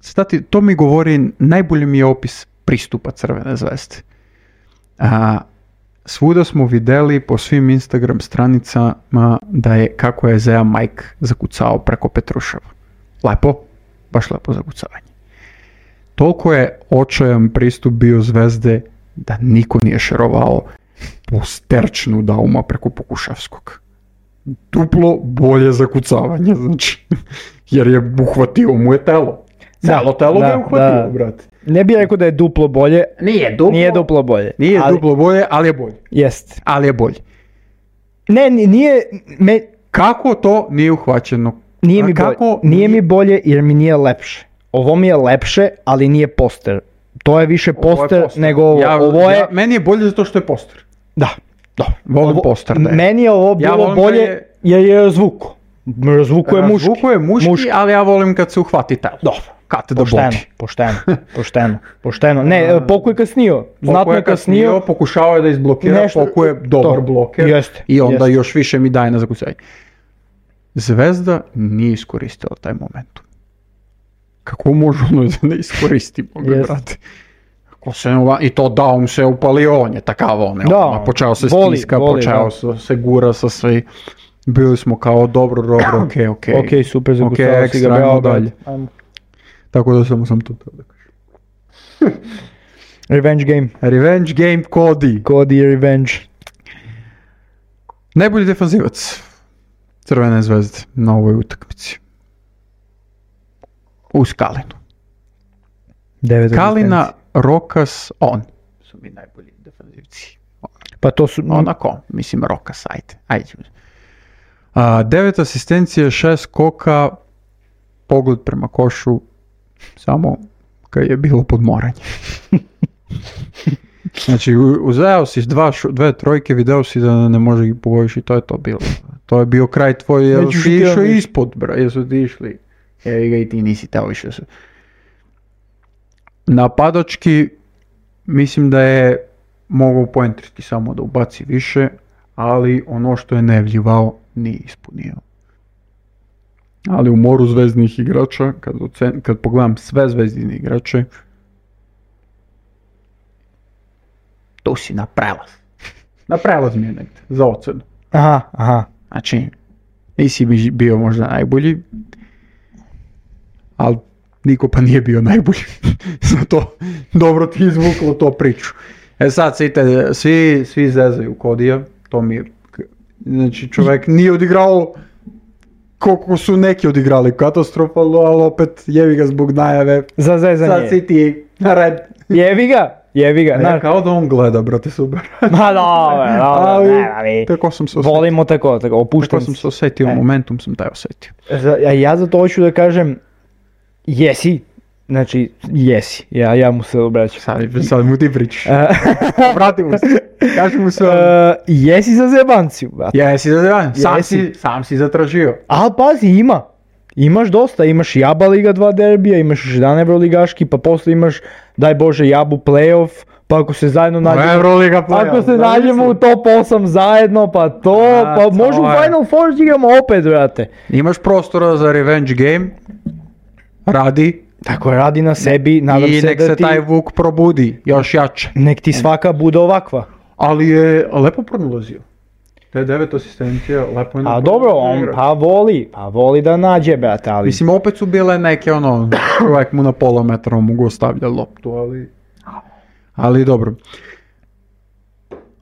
stati, to mi govori, najbolji mi je opis pristupa Crvene zvezde. A, svuda smo vidjeli po svim Instagram stranicama da je kako je Zea Mike zakucao preko Petruševa. Lepo, baš lepo zakucavanje. Toliko je očajan pristup bio Zvezde da niko nije šerovao posterčnu Dauma preko Pokuševskog. Duplo bolje zakucavanje, znači, jer je uhvatio mu je telo. Celo telo ga je uhvatio, brate. Ne bih rekao da je duplo bolje. Nije duplo, nije duplo bolje. Nije ali, duplo bolje, ali je bolje. Jest. Ali je bolje. Ne, nije... Me, kako to nije uhvaćeno? Nije mi, kako, bolje, nije mi bolje jer mi nije lepše. Ovo mi je lepše, ali nije poster. To je više poster, je poster. nego ovo. Ja, ovo je... ja, meni je bolje zato što je poster. Da, da. Volim ovo, poster. Da je. Meni je ovo bilo ja bolje je... jer je razvuku. Razvuku je muški. Razvuku je muški, muški, ali ja volim kad se uhvati telo. Dobro. Kad da pošteno, bodi. pošteno, pošteno, pošteno. Ne, Poku je kasnio. Znatno je kasnio. kasnio. Pokušao je da izblokira, nešto, Poku je dobar to. bloker. Jeste, I onda jeste. još više mi daje na zakucanje. Zvezda nije iskoristila taj moment. Kako može ono da ne iskoristimo, brate? I to Daum se upalio, on je takav on je. Da, on, počeo se voli, stiska, voli, počeo da. se gura sa sve. Bili smo kao dobro, dobro, okej, okej. Okej, super, zakucao okay, si ga, bravo, dalje. Ajmo. Tako da samo sam to treba da kažem. Revenge game. Revenge game Cody. Cody revenge. Najbolji defanzivac Crvene zvezde na ovoj utakmici. Uz Kalinu. Devet Kalina, Rokas, on su mi najbolji defanzivci. Pa to su... Onako, mislim Rokas, ajde. ajde. A, devet asistencije, šest skoka, pogled prema košu, samo kad je bilo podmoranje. Znači, uzeo si dva, dve trojke, video si da ne može ih pogojiš i to je to bilo. To je bio kraj tvoj, jel si išao ispod, bra, jesu ti išli. Evo ga i ti nisi teo više. Napadački, mislim da je mogao poentriti samo da ubaci više, ali ono što je nevljivao nije ispunio. Ali u moru zvezdnih igrača, kad, ocen, kad pogledam sve zvezdine igrače, tu si na prelaz. Na prelaz mi je negdje, za ocenu. Aha, aha. Znači, nisi mi bio možda najbolji, ali niko pa nije bio najbolji. Zato dobro ti izvuklo to priču. E sad, site, svi, svi zezaju Kodija, to mi je, znači čovjek nije odigrao koliko su neki odigrali katastrofalno, ali opet jevi ga zbog najave. Za zezanje. Sad si ti na red. Jevi ga, jevi ga. Ja kao da on gleda, brate, super. Ma dobro, dobro, ne, tako sam se osjetio. Volimo tako, tako, opušten. Tako sam se osjetio, momentum sam taj osjetio. Ja zato hoću da kažem, jesi, Znači, jesi, ja, ja mu se obraćam. Sad, sad mu ti pričaš. Vrati mu se, kaži mu se. Uh, jesi za zebanciju, brate. Jesi za zebanciju, sam si, sam si zatražio. Ali pazi, ima. Imaš dosta, imaš Jaba Liga dva derbija, imaš još jedan Evroligaški, pa posle imaš, daj Bože, Jabu playoff, pa ako se zajedno nađemo, Evroliga playoff, ako se nađemo u top osam zajedno, pa to, A, pa može u Final Four igramo opet, brate. Imaš prostora za revenge game, radi. Tako radi na sebi, nadam I se nek da se ti... taj Vuk probudi, još jače. Nek ti svaka bude ovakva. Ali je lepo pronalazio. Te devet asistencija, lepo je... A dobro, on pa voli, pa voli da nađe, brate, ali... Mislim, opet su bile neke, ono, čovjek mu na pola metra mogu ostavlja loptu, ali... Ali dobro.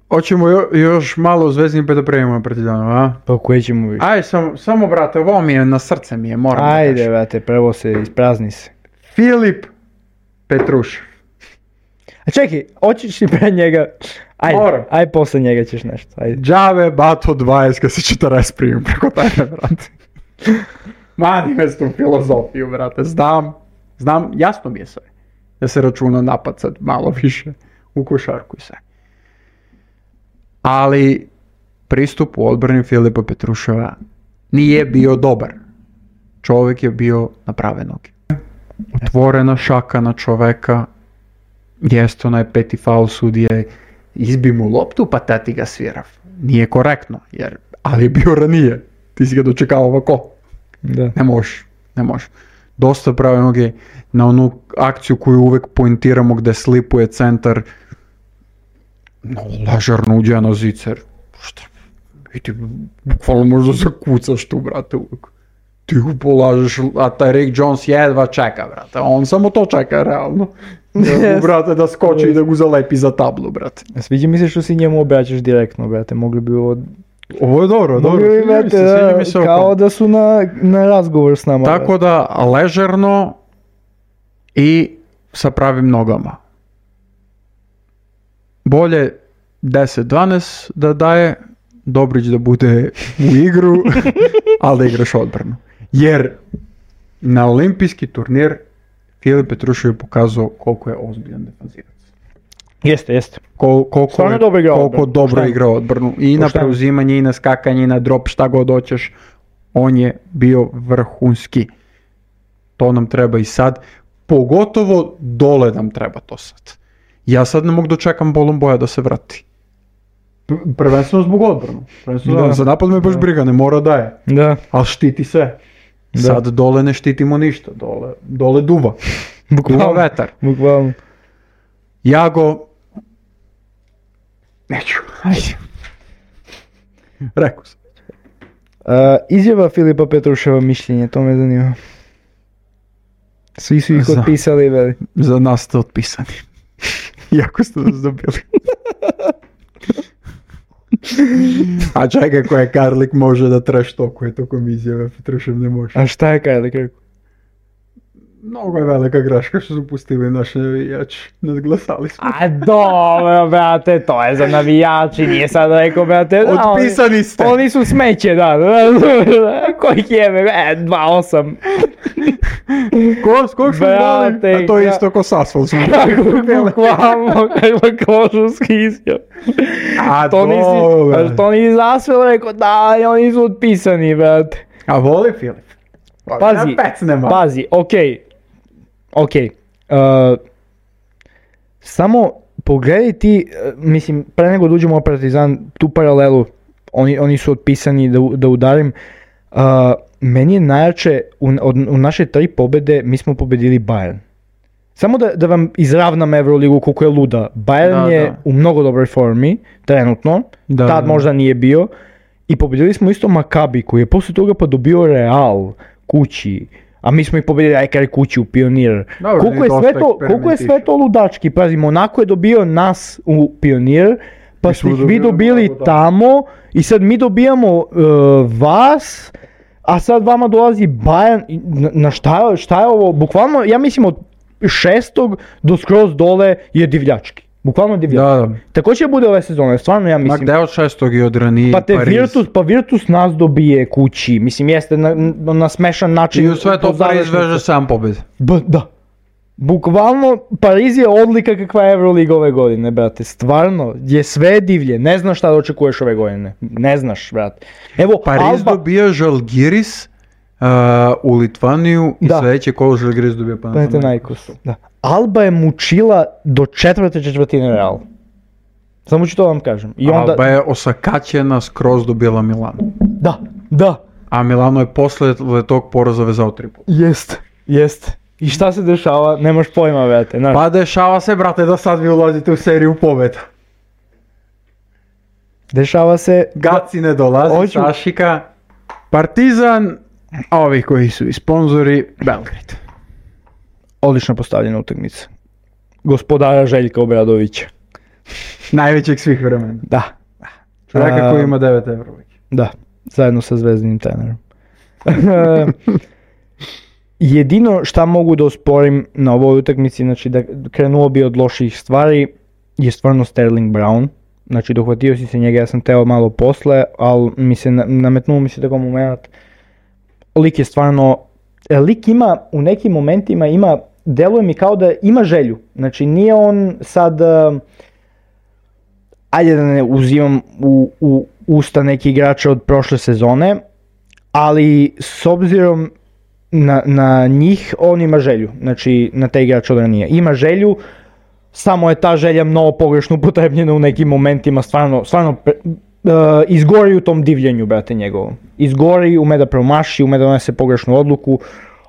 Hoćemo jo, još malo o Zvezdnim pa da prejemo Partizanu, a? Pa koje ćemo više? Ajde, sam, samo brate, ovo mi je, na srce mi je, moram Ajde, da kažem. Ajde, brate, prvo se isprazni se. Filip Petrušev. A čekaj, hoćeš li pre njega... Ajde, Moram. ajde posle njega ćeš nešto, ajde. Džave, bato dvadeset, kad se četrdeset primim preko tebe, brate. Mani me s tu filozofiju, brate, znam, znam, jasno mi je sve. Da se računa napad sad malo više u košarku i sve. Ali pristup u odbrani Filipa Petruševa nije bio dobar. Čovjek je bio na prave noge. Otvorena šaka na čoveka, jest onaj peti faul sudije, izbi mu loptu pa tati ga svirav. Nije korektno, jer, ali je bio ranije. Ti si ga dočekao ovako. Da. Ne možeš, ne možeš. Dosta prave noge na onu akciju koju uvek pointiramo gde slipuje centar. No, lažarno uđe na zicer. Šta? I ti bukvalno možda zakucaš tu, brate, uvek. Ti ga polažeš, a taj Rick Jones jedva čeka, brate. On samo to čeka, realno. Da mu, brate, da skoči i da ga zalepi za tablu, brate. Sviđa mi se što si njemu obraćaš direktno, brate. Mogli bi ovo... Ovo je dobro, dobro. Mogli bi, brate, se, da, mi se kao oko. da su na, na razgovor s nama. Tako brate. Da, ležerno i sa pravim nogama. Bolje deset dvanaest da daje, Dobrić da bude u igru, ali da igraš odbranu. Jer na olimpijski turnir Filip Petrušev je pokazao koliko je ozbiljan defanzivac. Jeste, jeste. Kol, koliko je, dobro igra koliko odbranu. dobro igra odbranu. I na Pošteno. preuzimanje, i na skakanje, i na drop, šta god hoćeš. On je bio vrhunski. To nam treba i sad. Pogotovo dole nam treba to sad. Ja sad ne mogu dočekam Bolon Boja da se vrati. Prvenstveno zbog odbranu. Prvenstveno da. Za napad me baš briga, ne mora da je. Da. Ali štiti sve. Da. Sad dole ne štitimo ništa. Dole, dole duva. Duva vetar. Bukvalno. Jago... Neću. Ajde. Rekao sam. Uh, izjava Filipa Petruševa mišljenje, to me zanima. Svi su ih Za, otpisali, veli. Za nas ste otpisani. Iako ste nas dobili. A čekaj, koja je Karlik može da trash tokuje tokom izjave, Petrušev ne može. A šta je Karlik rekao? Mnogo je velika greška što su pustili naše navijači. Nadglasali smo. A dobro, brate, to je za navijači, nije sad rekao, brate. Da, otpisani oni, ste. Oni su smeće, da. Kojih jebe, e, dva osam. Ko, s kog smo zvali? A to je isto ko s asfalt smo. Bukvalno, kakva kožuski izjav. A to nisi, a to nisi zasvel rekao, da, oni su otpisani, brate. A voli Filip? Pazi, pazi, okej, okej, uh, samo pogledaj ti, uh, mislim, pre nego da uđemo u Partizan, tu paralelu, oni, oni su otpisani da, da udarim, uh, meni je najjače, u, od, u naše tri pobede, mi smo pobedili Bayern. Samo da, da vam izravnam Euroligu koliko je luda, Bayern da, je da. u mnogo dobroj formi, trenutno, da, tad da. možda nije bio, i pobedili smo isto Maccabi koji je posle toga pa dobio Real kući, a mi smo ih pobedili ajkari kući u Pionir. Dobro, koliko, je sve to, koliko je sve to ludački, pazi, Monako je dobio nas u Pionir, pa ste ih vi dobili tamo i sad mi dobijamo uh, vas, a sad vama dolazi Bayern, na, na šta, šta je ovo, bukvalno, ja mislim od šestog do skroz dole je divljački. Bukvalno divljački. Da, da. Tako će bude ove sezone, stvarno ja mislim. Ma gde od šestog i od ranije pa te Pariz. Virtus, pa Virtus nas dobije kući, mislim jeste na, na smešan način. I u sve to Pariz veže sam pobjede. B, da. Bukvalno, Pariz je odlika kakva je Euroliga ove godine, brate. Stvarno, je sve divlje. Ne znaš šta da očekuješ ove godine. Ne znaš, brate. Evo, Pariz Alba... dobija Žalgiris uh, u Litvaniju i da. Sledeće kolo Žalgiris dobija Panathinaikos. Da. Alba je mučila do četvrte četvrtine Real. Samo ću to vam kažem. I onda... Alba je osakaćena, skroz dobila Milano. Da, da. A Milano je posle tog poraza vezao tri puta. Jeste, jeste. I šta se dešava, nemaš pojma, brate. Znaš. Pa dešava se, brate, da sad vi ulazite u seriju pobjeda. Dešava se... Gaci ne dolazi, Oću... Sašika, Partizan, a ovi koji su i sponzori, Belgrade. Odlično postavljena utakmica. Gospodara Željka Obradovića. Najvećeg svih vremena. Da. Čovjeka koji ima devet evra. Da, zajedno sa zvezdinim trenerom. Jedino šta mogu da osporim na ovoj utakmici, znači da krenuo bi od loših stvari, je stvarno Sterling Brown. Znači dohvatio si se njega, ja sam teo malo posle, ali mi se nametnuo mi se tako moment. Lik je stvarno, lik ima u nekim momentima, ima, deluje mi kao da ima želju. Znači nije on sad, uh, ajde da ne uzimam u, u usta neki igrača od prošle sezone, ali s obzirom Na, na njih on ima želju, znači na te igrače od ranije. Ima želju, samo je ta želja mnogo pogrešno upotrebljena u nekim momentima, stvarno, stvarno pre, uh, izgori u tom divljenju, brate, njegovom. Izgori, ume da promaši, ume da donese pogrešnu odluku,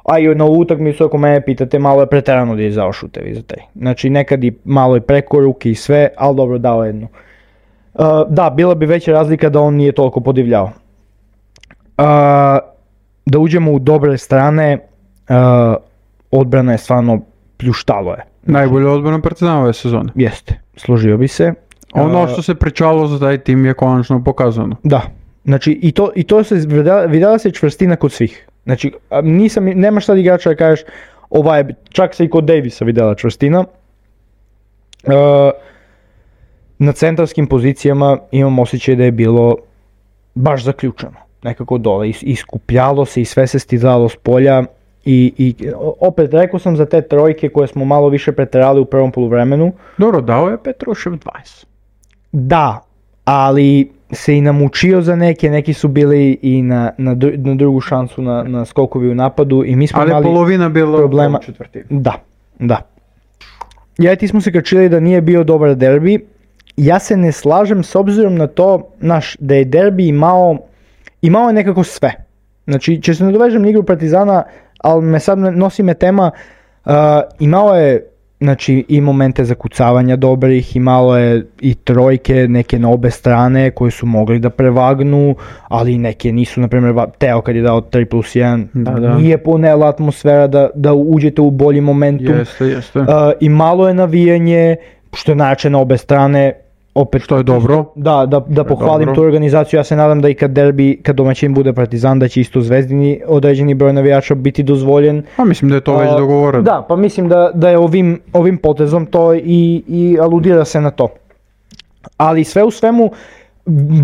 a i na utakmicu, ako mene pitate, malo je preterano da je izdao šutevi za taj. Znači nekad i malo i preko ruke i sve, ali dobro dao jednu. Uh, da, bila bi veća razlika da on nije toliko podivljao. Uh, Da uđemo u dobre strane, uh, odbrana je stvarno pljuštalo je. Najbolja odbrana Partizana ove sezone. Jeste, složio bi se. Ono što se pričalo za taj tim je konačno pokazano. Da, znači i to, i to se videla, videla se čvrstina kod svih. Znači nisam, nema šta igrača da kažeš, ovaj, čak se i kod Davisa videla čvrstina. Uh, na centarskim pozicijama imam osjećaj da je bilo baš zaključano. Nekako dole, iskupljalo se i sve se stizalo s polja i, i opet rekao sam za te trojke koje smo malo više preterali u prvom poluvremenu. Dobro, dao je Petrušev dvadeset. Da, ali se i namučio za neke, neki su bili i na, na, dru, na drugu šansu na, na skokovi u napadu i mi smo ali imali polovina bila problema. U četvrtini. Da, da. Ja i ti smo se kačili da nije bio dobar derbi. Ja se ne slažem s obzirom na to, naš, da je derbi imao Imao je nekako sve. Znači, će se nadovežem na igru Partizana, ali me sad nosi me tema, uh, imao je znači, i momente zakucavanja dobrih, imalo je i trojke neke na obe strane koje su mogli da prevagnu, ali neke nisu, na primjer, Teo kad je dao tri plus jedan, da, da. Nije ponela atmosfera da, da uđete u bolji momentum. Jeste, jeste. Uh, I malo je navijanje, što je najjače na obe strane. Opet što je dobro. Da, da, da pohvalim dobro tu organizaciju. Ja se nadam da i kad derbi, kad domaćin bude Partizan, da će isto Zvezdini određeni broj navijača biti dozvoljen. Pa mislim da je to već dogovoreno. Da, pa mislim da, da je ovim, ovim potezom to i, i aludira se na to. Ali sve u svemu,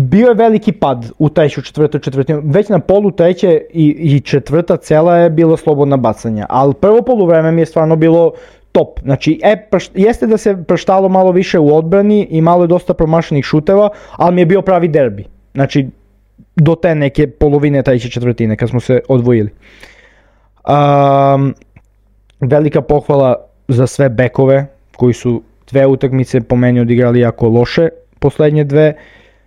bio je veliki pad u treću, četvrtu, četvrtinu. Već na polu treće i, i četvrta cela je bilo slobodna bacanja. Ali prvo poluvreme mi je stvarno bilo top. Znači, e, prš, jeste da se prštalo malo više u odbrani i malo je dosta promašenih šuteva, ali mi je bio pravi derbi. Znači, do te neke polovine treće četvrtine kad smo se odvojili. Um, velika pohvala za sve bekove koji su dve utakmice po meni odigrali jako loše, poslednje dve.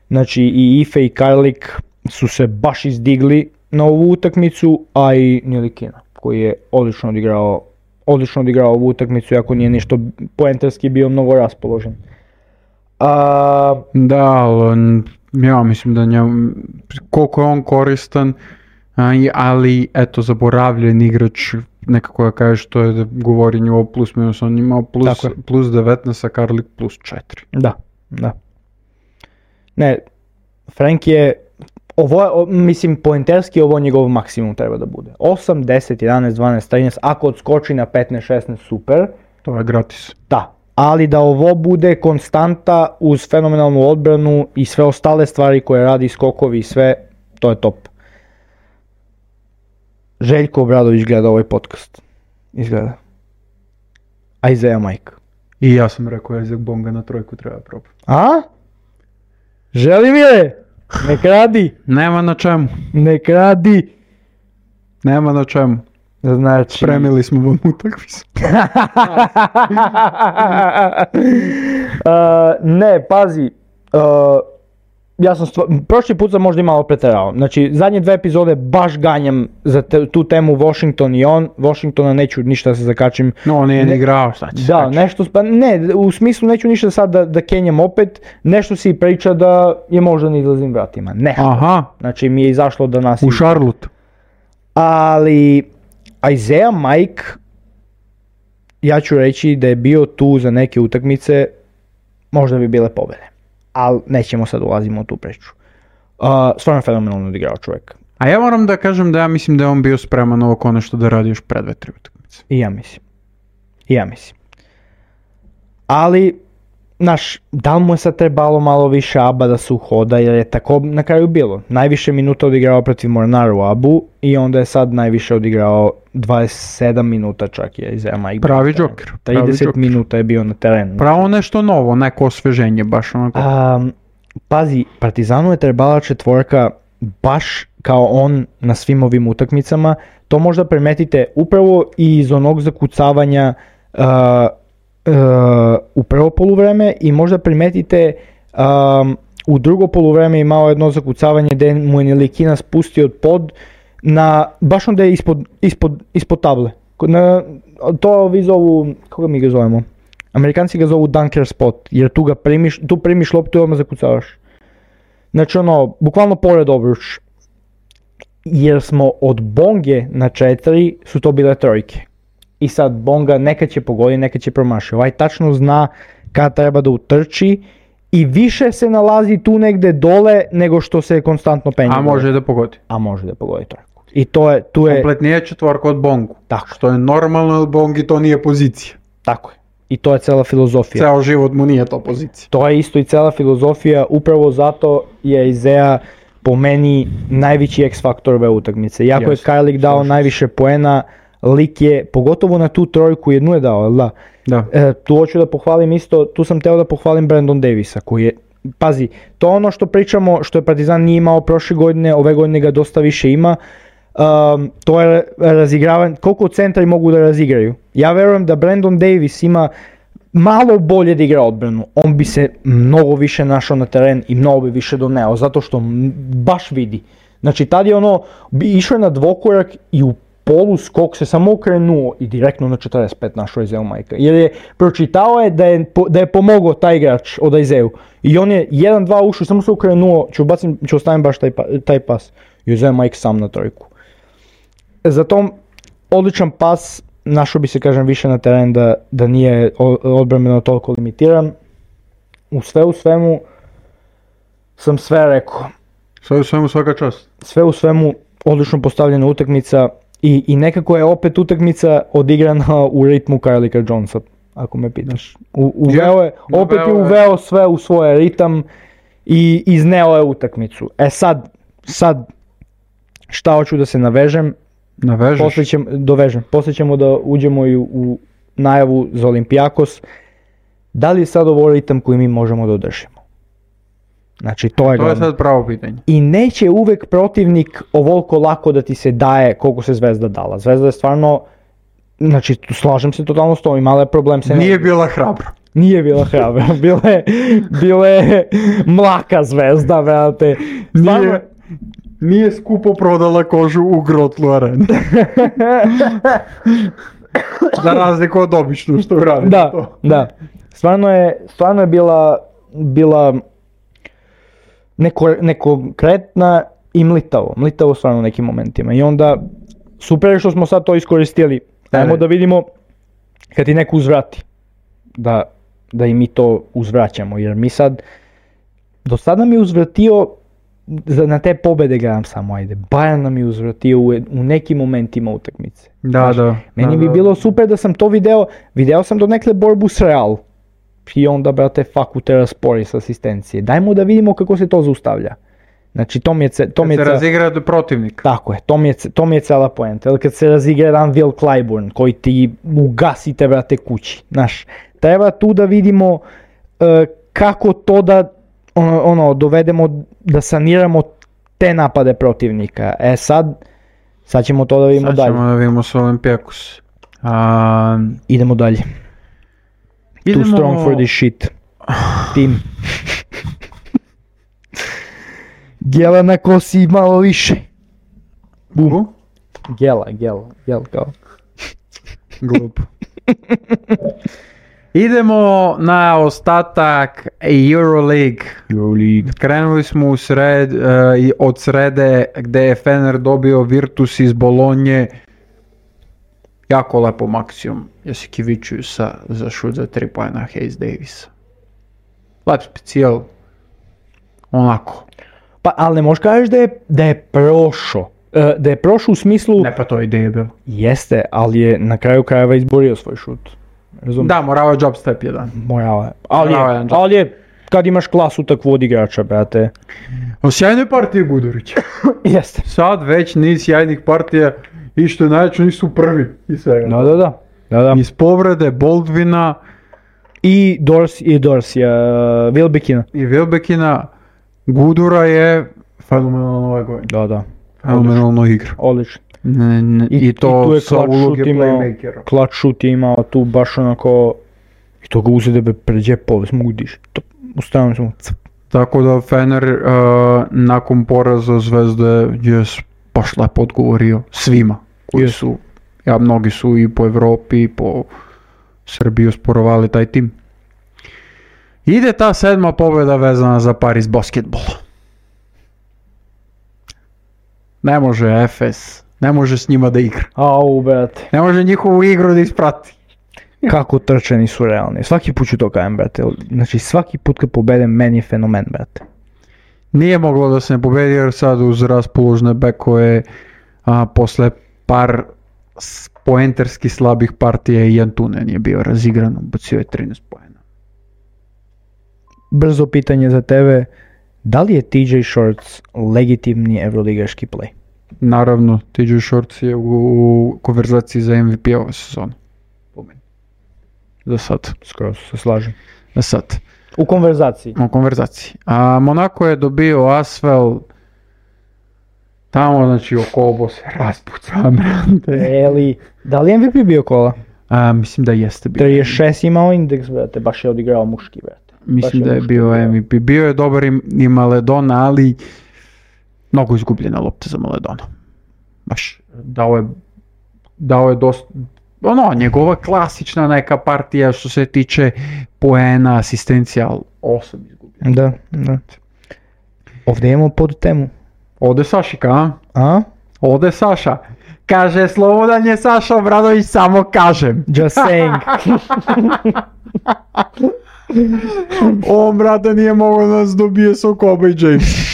Znači, i Ife i Karlik su se baš izdigli na ovu utakmicu, a i Nilikina koji je odlično odigrao odlično odigrao ovu utakmicu, iako nije ništo poenterski bio mnogo raspoložen. A... Da, ali ja mislim da njemu, koliko je on koristan, ali eto zaboravljen igrač, nekako ja kažeš to je da govori njivo plus minus, on imao plus, plus devetnaest, a Karlik plus četiri. Da, da. Ne, Frank je, ovo je, mislim, poenterski ovo njegov maksimum treba da bude. osam, deset, jedanaest, dvanaest, trinaest, ako odskoči na petnaest, šesnaest, super. To je gratis. Da, ali da ovo bude konstanta uz fenomenalnu odbranu i sve ostale stvari koje radi, skokovi i sve, to je top. Željko Obradović gleda ovaj podcast. Izgleda. Isaiah Mike. I ja sam rekao Isaac Bonga na trojku treba probati. A? Želimire, nek radi. Nema na čemu. Nek radi. Nema na čemu. Znači... Spremili smo vam utakmicu. uh, ne, pazi. Uh, ja sam stva... Prošli put sam možda i malo preterao. Znači, zadnje dve epizode baš ganjam za te, tu temu Washington i on. Washingtona neću ništa da se zakačim. No, on nije ne... ni igrao, šta će Da, nešto, pa ne, u smislu neću ništa sad da, da kenjam opet. Nešto si priča da je možda ne izlazim vratima. Nešto. Aha. Znači, mi je izašlo da nas... U Charlotte. Ali... Isaiah Mike, ja ću reći da je bio tu za neke utakmice, možda bi bile pobjede, ali nećemo sad ulazimo u tu priču. Uh, stvarno fenomenalno odigrao čovjek. A ja moram da kažem da ja mislim da je on bio spreman ovo konešto da radi još pred dve, tri utakmice. I ja mislim. I ja mislim. Ali, znaš, da li mu je sad trebalo malo više aba da se uhoda, jer je tako na kraju bilo. Najviše minuta odigrao protiv Mornaru Abu i onda je sad najviše odigrao dvadeset sedam minuta čak je Isaiah Mike. Pravi džoker. trideset minuta je bio na terenu. Pravo nešto novo, neko osveženje baš onako. Um, pazi, Partizanu je trebala četvorka baš kao on na svim ovim utakmicama. To možda primetite upravo i iz onog zakucavanja uh, Uh, u prvo poluvreme i možda primetite um, u drugo poluvreme imao jedno zakucavanje gdje mu je Nilikina spustio od pod na, baš onda je ispod, ispod, ispod table. Na, to vi zovu, koga mi ga zovemo? Amerikanci ga zovu dunker spot, jer tu ga primiš, tu primiš loptu i odmah zakucavaš. Znači ono, bukvalno pored obruč. Jer smo od Bonge na četiri su to bile trojke. I sad Bonga nekad će pogoditi, nekad će promašiti. Ovaj tačno zna kada treba da utrči i više se nalazi tu negde dole nego što se konstantno penje. A može da pogodi. A može da pogodi trojku. I to je, tu je... Kompletnije četvorka od Bongu. Tako. Što je normalno, jer Bongi to nije pozicija. Tako je. I to je cela filozofija. Ceo život mu nije to pozicija. To je isto i cela filozofija, upravo zato je Isaiah po meni najveći X-faktor ove utakmice. Iako yes. je Kajlik dao Slušaj. najviše poena, lik je, pogotovo na tu trojku jednu je dao, da? Da. E, tu hoću da pohvalim isto, tu sam teo da pohvalim Brandon Davisa koji je, pazi, to ono što pričamo, što je Partizan nije imao prošle godine, ove godine ga dosta više ima, um, to je razigravanje, koliko centri mogu da razigraju. Ja verujem da Brandon Davis ima malo bolje da igra odbranu, on bi se mnogo više našao na teren i mnogo bi više doneo, zato što baš vidi. Znači tad je ono, išao je na dvokorak i u polu skok se samo okrenuo i direktno na četrdeset pet našao Isaiah Mike. Jer je pročitao je da je, da je pomogao taj igrač od Isaiah. I on je jedan dva ušao, samo se okrenuo, ću, bacim, ću ostavim baš taj, taj pas. I Isaiah Mike sam na trojku. Zato odličan pas, našao bi se kažem više na teren da, da nije odbrambeno toliko limitiran. U sve u svemu sam sve rekao. Sve u svemu svaka čast. Sve u svemu odlično postavljena utakmica. I, I nekako je opet utakmica odigrana u ritmu Kylika Jonesa, ako me pitaš. U, uveo je, opet je uveo sve u svoj ritam i izneo je utakmicu. E sad, sad šta hoću da se navežem, poslije ćemo, dovežem, poslije ćemo da uđemo i u, u najavu za Olympiakos. Da li je sad ovo ritam koji mi možemo da održimo? Znači to je To je sad pravo pitanje. I neće uvek protivnik ovoliko lako da ti se daje koliko se Zvezda dala. Zvezda je stvarno, znači slažem se totalno s tom, imala je problem se... Nije ne... bila hrabra. Nije bila hrabra, bila je, bila je mlaka Zvezda, vrate. Stvarno... Nije, nije skupo prodala kožu u Grotlu areni. Za razliku od običnu što uradi. Da, to. da. Stvarno je, stvarno je bila, bila neko, nekonkretna i mlitavo. Mlitavo stvarno u nekim momentima. I onda, super je što smo sad to iskoristili. Ajmo da vidimo kad ti neko uzvrati. Da, da i mi to uzvraćamo. Jer mi sad, do sad nam je uzvratio, na te pobjede gledam samo, ajde, Bayern nam je uzvratio u, u nekim momentima utakmice. Da, Znaš, da. Meni da, bi da. bilo super da sam to video, video sam do nekle borbu s Real. I onda, brate, faku te raspori s asistencije. Dajmo da vidimo kako se to zaustavlja. Znači to mi je, ce, to kad mi je se ce... razigra do protivnika. Tako je, to mi je, to mi je cela poenta. Ili kad se razigra jedan Will Clyburn koji ti ugasite, brate, kući. Znaš, treba tu da vidimo uh, kako to da ono, ono, dovedemo, da saniramo te napade protivnika. E sad, sad ćemo to da vidimo sad dalje. Sad ćemo da vidimo s Olympiakos. A... Idemo dalje. Idemo... Too strong for this shit. Tim. Gela na kosi malo više. Bum. Gela, gela, gel kao. Glup. Idemo na ostatak Euroleague. Euroleague. Krenuli smo u sred, uh, od srede gdje je Fener dobio Virtus iz Bolonje. Jako lepo maksimum Jasikevičiusa za šut za tri poena Hayes Davisa. Lep specijal. Onako. Pa, ali ne možeš kažeš da je, da je prošao. Uh, da je prošao u smislu... Ne, pa to je ideja bilo. Jeste, ali je na kraju krajeva izborio svoj šut. Razumiješ? Da, morao je job step jedan. Morao je. Ali, Morao je, je, ali je, kad imaš klasu takvu od igrača, brate. O sjajnoj partiji Gudurića. Jeste. Sad već niz sjajnih partija i što je najveće nisu prvi i svega. Da, da, da. da, da. Iz povrede Boldvina I Dors i Dorsija, uh, Wilbekina. i Wilbekina. Gudura je fenomenalno ovaj godin. Da, da. Fenomenalno igra. Odlično. Ne, ne, I, I, I to i tu je sa clutch uloge šut imao, playmakera. clutch šut je imao tu baš onako, i to ga uzede be pred džepove, smudiš. To, ustavljamo smo. Tako da Fener uh, nakon poraza Zvezde je baš lepo odgovorio svima koji Yes. su, ja mnogi su i po Evropi i po Srbiji osporavali taj tim. Ide ta sedma pobjeda vezana za Paris basketbol. Ne može Efes, ne može s njima da igra. Au, brate. Ne može njihovu igru da isprati. Kako trčani su realni. Svaki put ću to kajem, brate. Znači svaki put kad pobedem, meni je fenomen, brate. Nije moglo da se ne pobedi jer sad uz raspoložne bekove a, posle par poenterski slabih partija i Jantunen je bio razigran, bacio je trinaest poena. Brzo pitanje za tebe. Da li je T J Shorts legitimni evroligaški play? Naravno, T J Shorts je u, u konverzaciji za M V P ove sezone. Po meni. Za sad. Skoro se slažem. Za sad. U konverzaciji. U konverzaciji. A Monako je dobio Asvel tamo, znači oko se raspuca, brate. Eli, da li je M V P bio kola? A, mislim da jeste bio. trideset šest imao indeks, brate. Baš je odigrao muški, brate. Mislim Baš da je muški bio igrao. M V P. Bio je dobar i, i Maledona, ali mnogo izgubljena lopta za Maledona. Baš dao je, dao je dosta, ono, njegova klasična neka partija što se tiče poena, asistencija, ali osam izgubljena. Da, da. Ovdje imamo pod temu. Ode Sašika, a? A? Ode Saša. Kaže, slobodan je Saša Obradović, samo kažem. Just saying. On, brate, nije mogao da nas dobije sa Kobe i James.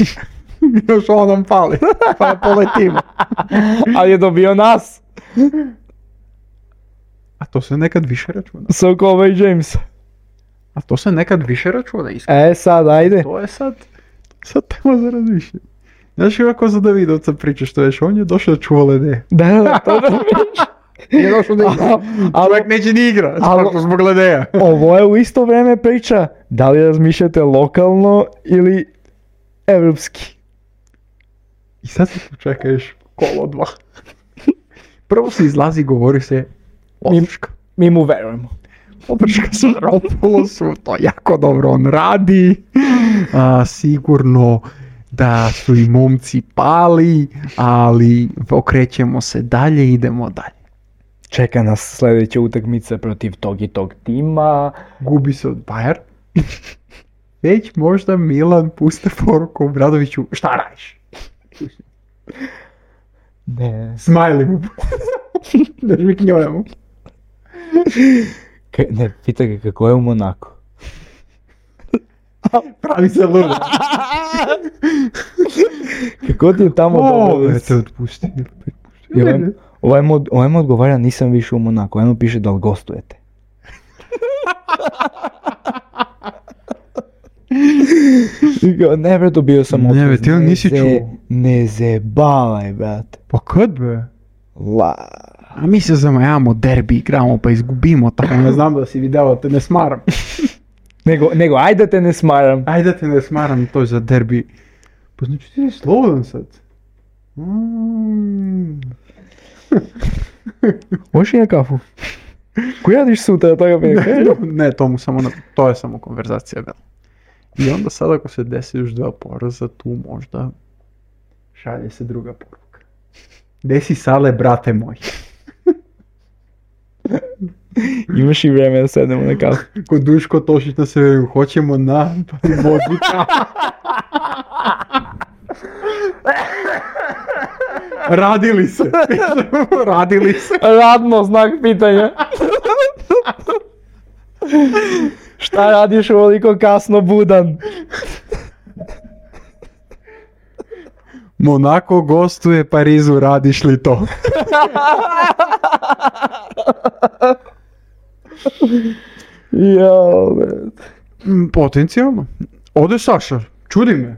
Još on nam pali, pa poletimo. Ali je dobio nas. A to se nekad više računa. Sokova i Jamesa. A to se nekad više računa, iskreno. E sad, ajde. To je sad, sad tema za razmišljanje. Znaš kako za Davidovca priča što već, on je došao da čuva lede. Da, da, to da priča. Nije došao da igra. Čovjek neće ni igra, ali- zbog ledeja. Ovo je u isto vrijeme priča. Da li razmišljate lokalno ili evropski? I sad se tu čekaš kolo dva. Prvo se izlazi, govori se Oprška. Mi mu verujemo. Oprška sa Ropulosu, to jako dobro on radi. A, sigurno da su i momci pali, ali okrećemo se dalje, idemo dalje. Čeka nas sljedeća utakmica protiv tog i tog tima. Gubi se od Bayern. Već možda Milan puste poruku Obradoviću, šta radiš? Ne. Smajli mu. Da mi knjojemo. K- ne, pita ga kako je u Monaku. Pravi se ludo. Kako ti je tamo O, dobro? te otpusti. I ovaj, ovaj, mu, ovaj mu odgovara nisam više u Monaku, ovaj mu piše da li gostujete. Ne bre, dobio sam otkaz. Ne, ti on nisi čuo. Ne zebavaj, brate. Pa kad be? La... A mi se zamajamo derbi, igramo pa izgubimo, tako ne znam da si video, te ne smaram. nego, nego, ajde da te ne smaram. Ajde da te ne smaram, to je za derbi. Pa znači ti si slobodan sad. Mm. Hoćeš i na kafu? Ko radiš sutra, toga mi je? Ne, to, mu samo na, to je samo konverzacija. Bel. I onda sad ako se desi još dva poraza, tu možda šalje se druga poruka. Desi Sale, brate moj. Imaš i vreme da sedemo na kafu. Ko Duško Tošić na severu, hoćemo na Božića. Radili se. Radili se. Radno, znak pitanja. Šta radiš ovoliko kasno budan? Monako gostuje Parizu, radiš li to? Jao, Potencijalno. Ode Saša, čudi me.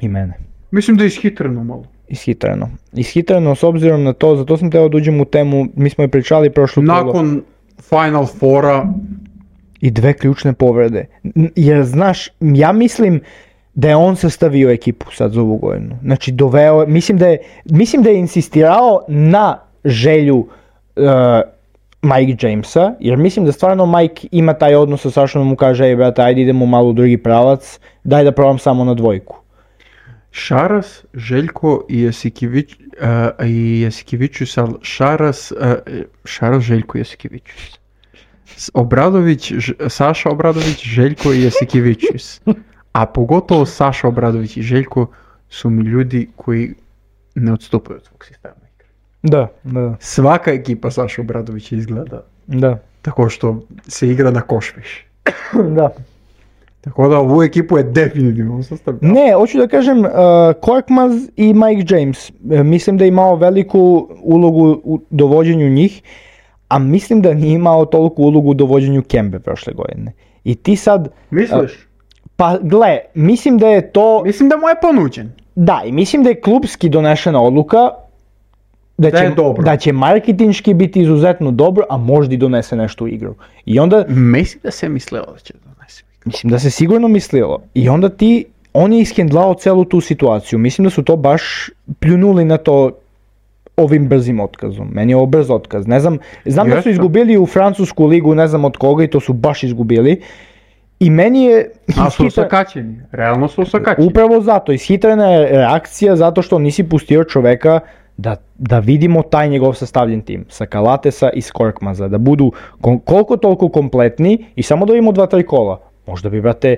I mene. Mislim da je ishitreno malo. Ishitreno. Ishitreno s obzirom na to, zato sam teo da uđem u temu, mi smo je pričali prošlo kolo. Nakon Final Fora. I dve ključne povrede. Jer znaš, ja mislim da je on sastavio ekipu sad za ovu godinu. Znači doveo, mislim da je, mislim da je insistirao na želju uh, Mike Jamesa, jer mislim da stvarno Mike ima taj odnos sa Sašom, mu kaže, ej brate, ajde idemo malo u drugi pravac, daj da probam samo na dvojku. Šaras, Željko i Jasikivić, uh, i Jasikivićus, ali Šaras, uh, Šaras, Željko i Jasikivićus. Obradović, Ž, Saša Obradović, Željko i Jasikivićus. A pogotovo Saša Obradović i Željko su mi ljudi koji ne odstupaju od svog sistema igre. Da, da. Svaka ekipa Saša Obradovića izgleda da. Tako što se igra na koš više. Da. Tako da ovu ekipu je definitivno sastavljao. Ne, hoću da kažem, uh, Korkmaz i Mike James, uh, mislim da je imao veliku ulogu u dovođenju njih, a mislim da nije imao toliku ulogu u dovođenju Kembe prošle godine. I ti sad... Misliš? Uh, pa gle, mislim da je to... Mislim da mu je ponuđen. Da, i mislim da je klubski donešena odluka da, da, će, da će marketinški biti izuzetno dobro, a možda i donese nešto u igru. I onda... Mislim da se mislilo da će donese u igru. Mislim da se sigurno mislilo. I onda ti, on je ishendlao celu tu situaciju. Mislim da su to baš pljunuli na to ovim brzim otkazom. Meni je ovo brz otkaz. Ne znam, znam Jeste. da su izgubili u francusku ligu, ne znam od koga, i to su baš izgubili. I meni je... A su osakačeni, realno su osakačeni. Upravo zato, ishitrena je reakcija zato što nisi pustio čoveka da, da vidimo taj njegov sastavljen tim. Sa Kalatesa i s Korkmaza, da budu kon, koliko toliko kompletni i samo da vidimo dva, tri kola. Možda bi, brate,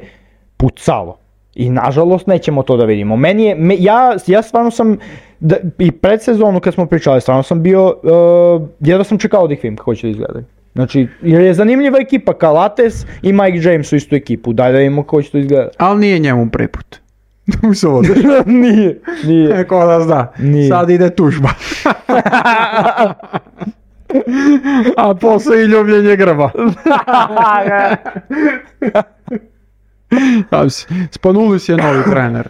pucalo. I nažalost nećemo to da vidimo. Meni je, me, ja, ja stvarno sam, da, i pred sezonu kad smo pričali, stvarno sam bio, uh, jedno sam čekao da ih vidim kako će da izgledaju. Znači, jer je zanimljiva ekipa, Kalates i Mike James u istu ekipu, daj da vidimo kako će to izgledati. Ali nije njemu prvi put. nije, nije. Neko da zna, nije. Sad ide tužba. A posle i ljubljenje grba. Spanulis je novi trener.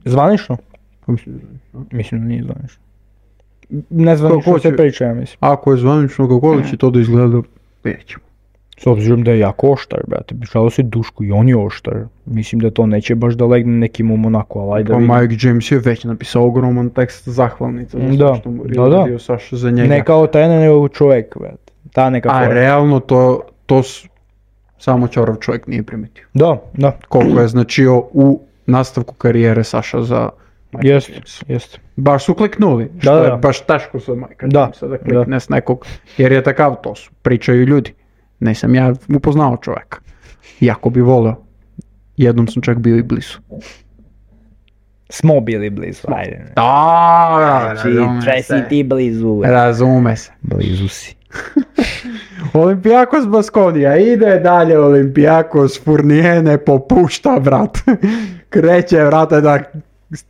Zvanično? Mislim da nije zvanično. Nezvanično se priča, ja mislim. Ako je zvanično, kako li će to da izgleda, nećemo. S obzirom da je jako oštar, brate, pričalo se Duško i on je oštar. Mislim da to neće baš da legne nekim u Monaku, ali ajde pa vidim. Mike James je već napisao ogroman tekst zahvalnica za da, što mu da, da. Saša za njega. Ne kao trener, nego čovjek, brate. Ta neka A forma. realno to, to s... samo Ćorav čovjek nije primetio. Da, da. Koliko je značio u nastavku karijere Saša za Mike jest, James. Jest. Baš su kliknuli, što da, da. je baš teško za Mike da, Jamesa da klikne da. S nekog, jer je takav, to su, pričaju ljudi. Nisam ja upoznao čovjeka. Jako bi volio. Jednom sam čak bio i blizu. Smo bili blizu, ajde. Da, znači, si ti blizu. Razume se. Blizu si. Olimpijakos Baskonija, ide dalje Olimpijakos, Fournier ne popušta, brat. Kreće, brate, da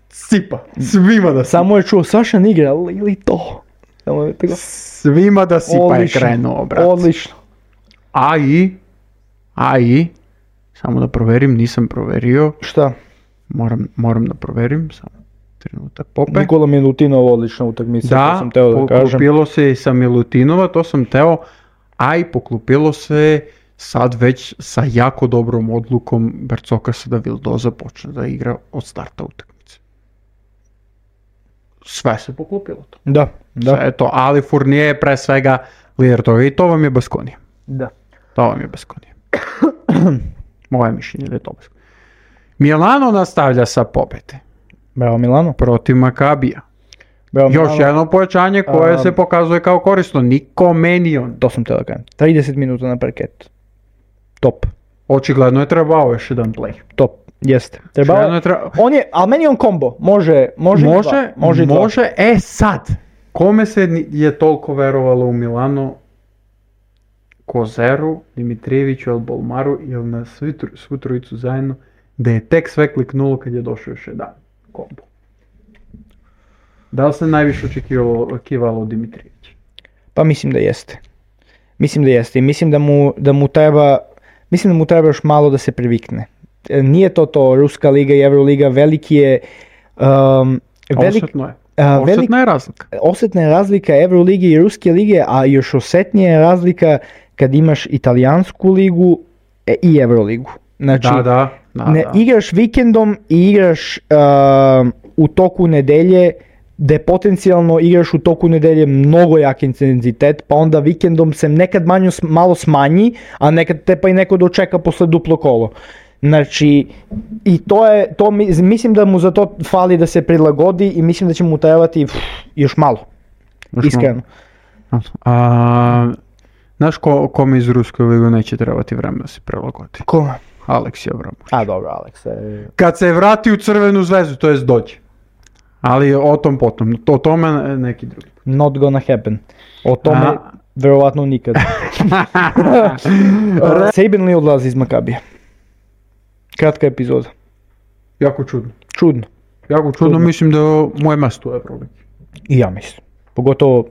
sipa. Svima da sipa. Samo je čuo, Saša ne igra, ili to? Samo je tako. Svima da sipa odlično, je krenuo, brat. Odlično. A i, a i, Samo da proverim, nisam proverio. Šta? Moram, moram da proverim, samo trenutak Pope. Nikola Milutinov odlična utakmica, da, to sam teo da kažem. Da, poklopilo se i sa Milutinova, to sam teo, a i poklopilo se sad već sa jako dobrom odlukom Bercokasa da Vildoza počne da igra od starta utakmice. Sve se poklopilo to. Da, da. Sve je to, ali Fournier je pre svega lider toga i to vam je Baskonija. Da. To vam je Baskonija. Moje mišljenje da je to Baskonija. Milano nastavlja sa pobede. Bravo Milano. Protiv Makabija. Bravo, Još Milano. jedno pojačanje koje Um, se pokazuje kao korisno. Niko Menion. To sam teo da kažem. trideset minuta na parketu. Top. Očigledno je trebao još jedan play. Top. Jeste. Trebao Očigledno je treba- On je, ali meni je on kombo. Može, može, i Može, dva. može, i dva. može. E sad, kome se ni- je toliko verovalo u Milano? Kozeru, Dimitrijeviću, El Bolmaru ili na svi tro- svu trojicu zajedno, da je tek sve kliknulo kad je došao još jedan kombo. Da li se najviše očekivalo, očekivalo od Dimitrijevića? Pa mislim da jeste. Mislim da jeste i mislim da mu, da mu treba, mislim da mu treba još malo da se privikne. E, Nije to to Ruska liga i Euroliga, veliki je um, velik, Osetno je. a, velik- Osetna je razlika. osetna je razlika Eurolige i Ruske lige, a još osetnije je razlika kad imaš Italijansku ligu e, i Euroligu. Znači, Da, da. da, ne, da. igraš vikendom i igraš uh, u toku nedelje, gde potencijalno igraš u toku nedelje mnogo jak intenzitet, pa onda vikendom se nekad manju, malo smanji, a nekad te pa i neko dočeka posle duplo kolo. Znači, i to je, to mi, mislim da mu za to fali da se prilagodi i mislim da će mu trebati pff, još malo, Još iskreno. malo. A, znaš ko, kome iz Ruske ligu neće trebati vremena da se prilagodi? Ko? Aleksij Abramović. A dobro, Aleksa. je- Kad se vrati u Crvenu zvezdu, to jest dođe. Ali o tom potom, o tome neki drugi. Not gonna happen. O tome A- verovatno nikad. Uh, Sabin Lee odlazi iz Makabija. Kratka epizoda. Jako čudno. Čudno. Jako čudno, Čudno. mislim da je moje mesto u Euroligi. I ja mislim. Pogotovo, uh,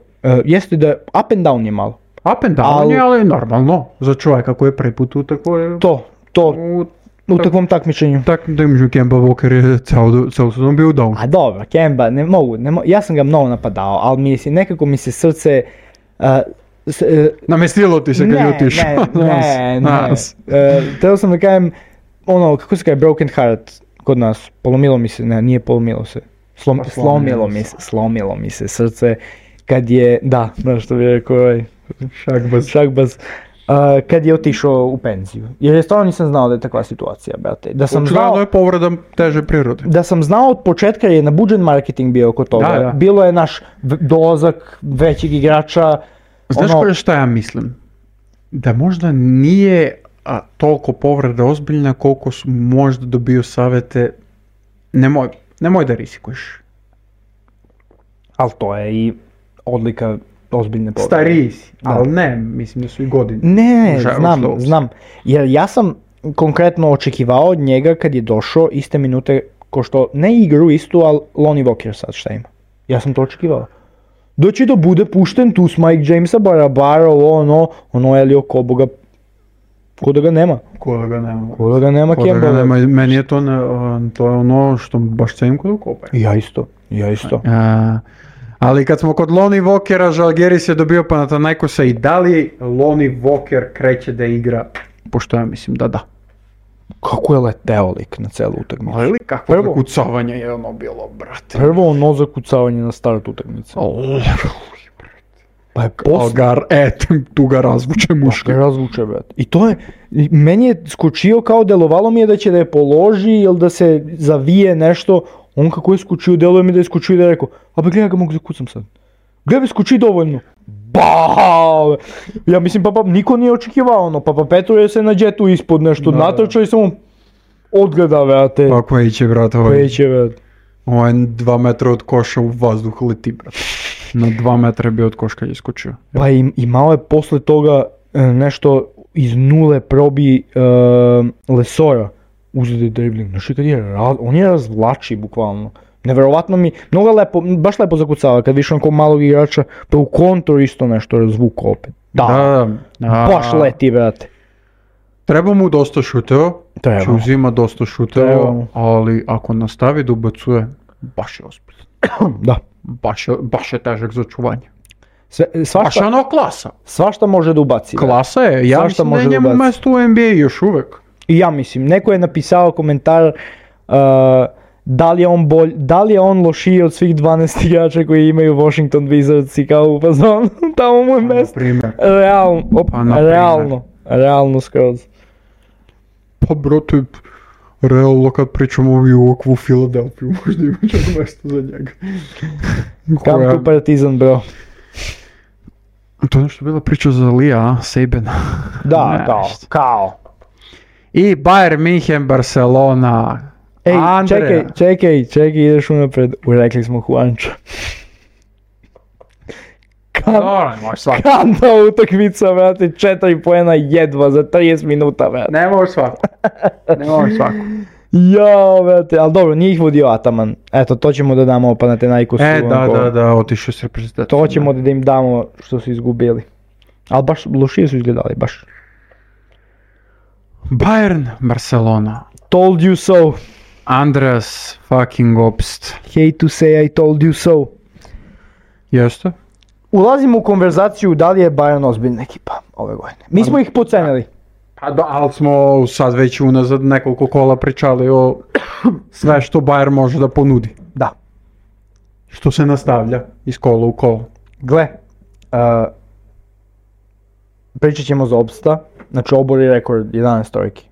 jeste da up and down je malo. Up and down Al- je, ali normalno. Za čovjeka koji je prvi put u takvoj... To, to, U, u takvom takmičenju. tak da imaš Kemba Walker je celo, celo sezon bio down. A dobro, Kemba, ne mogu, ne mo- ja sam ga mnogo napadao, ali mislim, nekako mi se srce... Uh, s, uh, Namestilo ti se kad je ne, otišao. ne, ne, ne. Nas. Uh, Teo sam da kažem, ono, kako se kaže, broken heart kod nas, polomilo mi se, ne, nije polomilo se, Slom, Pa slomilo slomilo mi se. se, slomilo mi se srce, kad je, da, znaš što bi rekao ovaj, Šakbaz. Šakbaz, uh, kad je otišao u penziju, jer je stvarno nisam znao da je takva situacija, brate, da sam Očigledno znao, je povreda teže prirode. da sam znao od početka je nabuđen marketing bio oko toga, Da, da. bilo je naš v- dolazak većeg igrača, Znaš ono- koje šta ja mislim? Da možda nije a, toliko povreda ozbiljna koliko su možda dobio savjete nemoj, nemoj da rizikuješ. ali to je i odlika ozbiljne povrede. Stariji si, Da. ali ne, mislim da su i godine. Ne, Ušao- znam, ušlo u- znam. Jer ja sam konkretno očekivao od njega kad je došao iste minute ko što, ne igru istu, ali Lonnie Walker sad šta ima. Ja sam to očekivao. Da će da bude pušten tu s Mike Jamesa, Barabara, ovo ono, ono Elio Koboga, ko da ga nema. Ko da ga nema. Ko da ga nema Ko da ga Kemba. nema. Meni je to, ne, to je ono što baš cenim kod Kobe. Ja isto, ja isto. A, ali kad smo kod Lonnie Walkera, Žalgiris je dobio Panathinaikosa i da li Lonnie Walker kreće da igra? Pošto ja mislim da da. Kako je leteo lik na celu utakmicu. Ali kakvo Prvo- zakucavanje je ono bilo, brate. Prvo ono zakucavanje na start utakmice. Oh, Pa je posle... Algar, e, tu ga razvuče muški. Ga razvuče, brate. I to je, i meni je skočio kao delovalo mi je da će da je položi ili da se zavije nešto. On kako je skočio, deluje mi da je skočio i da je rekao, a ba gledaj ga mogu zakucam sad. Gledaj bi skoči dovoljno. Baaaaaa! Ja mislim, papa, niko nije očekivao ono, papa Petru je se na džetu ispod nešto Da, natrčao i samo odgleda, brate. Pa koji će, brate, ovaj, Peće, brate. ovaj dva metra od koša u vazduh leti, brate. Na dva metra je bio od koša kad je skočio. Pa i, i malo je posle toga e, nešto iz nule probi e, Lesora uzeti dribling. Znaš, kad je, ra- on je razvlači bukvalno. Neverovatno mi, mnogo lepo, baš lepo zakucava kad više onako malog igrača, pa u kontru isto nešto razvuko opet. Da, da, da. baš leti, brate. Treba mu dosta šuteva, Treba. će uzima dosta šuteva, Treba mu. ali ako nastavi da ubacuje, baš je ozbiljan. Da. Baš je, baš je težak za čuvanje. Sve, Baš svašta, je ono klasa. svašta može da ubaci. Klasa je, ja Svašta mislim da je može njemu ubaciti. mesto u N B A još uvek. I ja mislim, neko je napisao komentar uh, da li je on bolj, da li je on lošiji od svih dvanaest igrača koji imaju Washington Wizards i kao u fazonu, tamo mu je Na mesto. primjer. Realno, op, Pa, na primjer. realno, realno skroz. Pa brate, realno kad pričamo o Milwaukee u Filadelfiju, možda ima čak mesto za njega. Kam Koja- tu Partizan, bro? To je nešto bila priča za Lija, a? Sabina. Da, Ne, kao, šta. kao. I Bayern München, Barcelona. Ej, Andreja. čekaj, čekaj, čekaj, ideš unapred. Urekli smo Juanča. Kan, Dobro, može svako. kanta utakmica, brate, četiri poena jedva za trideset minuta, brate. Ne može svako. Ne može svako. Jao, brate, ali dobro, nije ih vodio Ataman. Eto, to ćemo da damo Panathinaikosu. E, da, onako. da, da, otišao s reprezentacijom. To ćemo da im damo što su izgubili. Ali baš lošije su izgledali, baš. Bayern, Barcelona. Told you so. Andreas fucking Obst. Hate to say I told you so. Jeste? Ulazimo u konverzaciju da li je Bayern ozbiljna ekipa ove godine. Mi smo ih pocenili. Pa da, ali smo sad već unazad nekoliko kola pričali o sve što Bayern može da ponudi. Da. Što se nastavlja iz kola u kolo. Gle, uh, pričat ćemo za Obsta, znači obori rekord jedanaest trojki.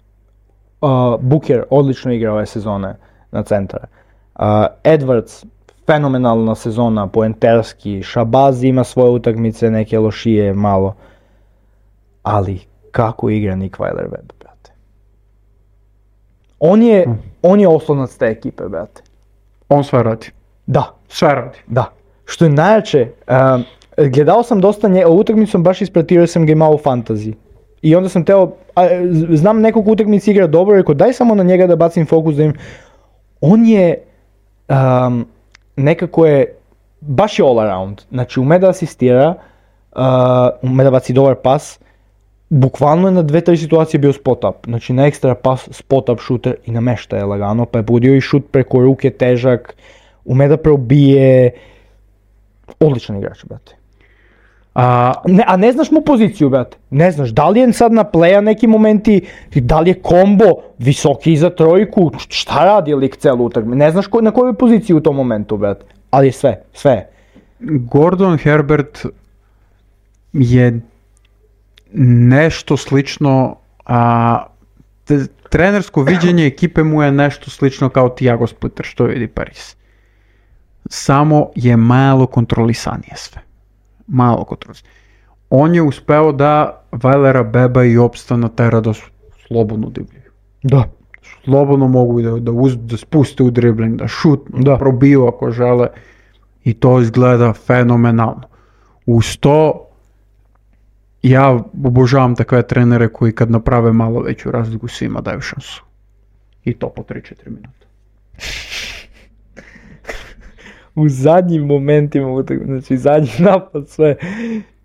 Uh, Booker odlično igra ove sezone na centara. Uh, Edwards, fenomenalna sezona, poenterski, Shabazi ima svoje utakmice, neke lošije malo. Ali kako igra Nick Weiler-Webb, brate. On je, on je oslonac te ekipe, brate. On sve radi. Da, Sve radi. da. Što je najjače, um, gledao sam dosta nje, utakmicu sam baš ispratio, sam ga imao u fantaziji. I onda sam teo, a, z- znam nekog utakmici igra dobro, rekao daj samo na njega da bacim fokus da im... On je, um, nekako je, baš je all around. Znači ume da asistira, uh, ume da baci dobar pas, bukvalno je na dve, tri situacije bio spot up. Znači na ekstra pas, spot up shooter i namešta je lagano, pa je budio i šut preko ruke težak, ume da probije, odličan igrač, brate. A, Ne, a ne znaš mu poziciju, brate. Ne znaš, da li je sad na playa neki momenti, da li je kombo, visoki za trojku, šta radi lik celu utakmicu. Ne znaš ko, na kojoj poziciji u tom momentu, brate. Ali je sve, sve je. Gordon Herbert je nešto slično, a, te- trenersko viđenje ekipe mu je nešto slično kao Thiago Splitter što vidi Paris. Samo je malo kontrolisanije sve. Malo kontrolisanije. On je uspeo da Vailera, Beba i Obsta natera da su slobodno divljaju. Da. Slobodno mogu da, da, uz, da spuste u dribling, da šutnu, Da. da probiju ako žele. I to izgleda fenomenalno. Uz to, ja obožavam takve trenere koji kad naprave malo veću razliku svima daju šansu. I to po tri četiri minuta. U zadnjim momentima utakmice, znači zadnji napad sve.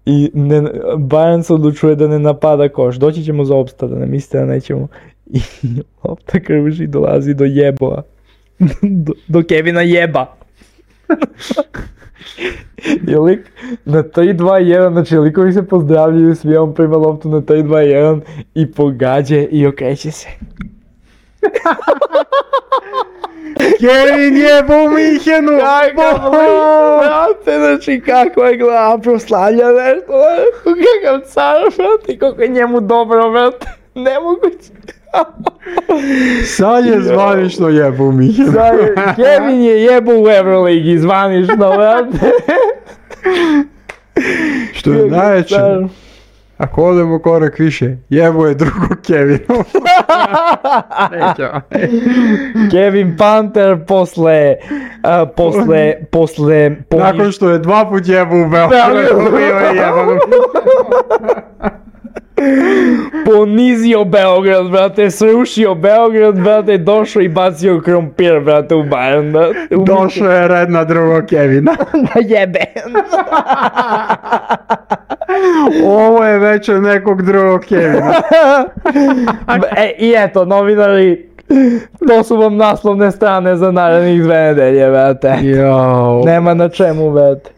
I ne, Bayern se odlučuje da ne napada koš. Doći ćemo za Obsta, da ne mislite da nećemo. I lopta kruži, dolazi do jeboa. do, do Kevina jeba. I lik na tri dva jedan, znači likovi se pozdravljaju, svi on prima loptu na tri dva jedan i pogađa i okreće se. Kevin jebo u Minhenu! Kakav lik, brate, znači kakva je glava, proslavlja nešto, kakav car, brate, kako je njemu dobro, brate, nemoguće. Sad je zvanično jebo u Minhenu. Sad je- Kevin je jebo u Euroligi, zvanično, brate. Što je najveće, Car. ako odemo korak više, jebo je drugo Kevinu. Neće. Kevin Panter posle, a, posle, posle, poni- Nakon što je dva put jebo u Beogradu, bio je jebo. ponizio Beograd, brate, srušio Beograd, brate, došao i bacio krompir, brate, u Bayern, brate. U Došao je red na drugog Kevina. Da jebe. Ovo je već od nekog drugog Kevina. E, i eto, novinari, to su vam naslovne strane za narednih dve nedelje, brate. Jao. Nema na čemu, brate.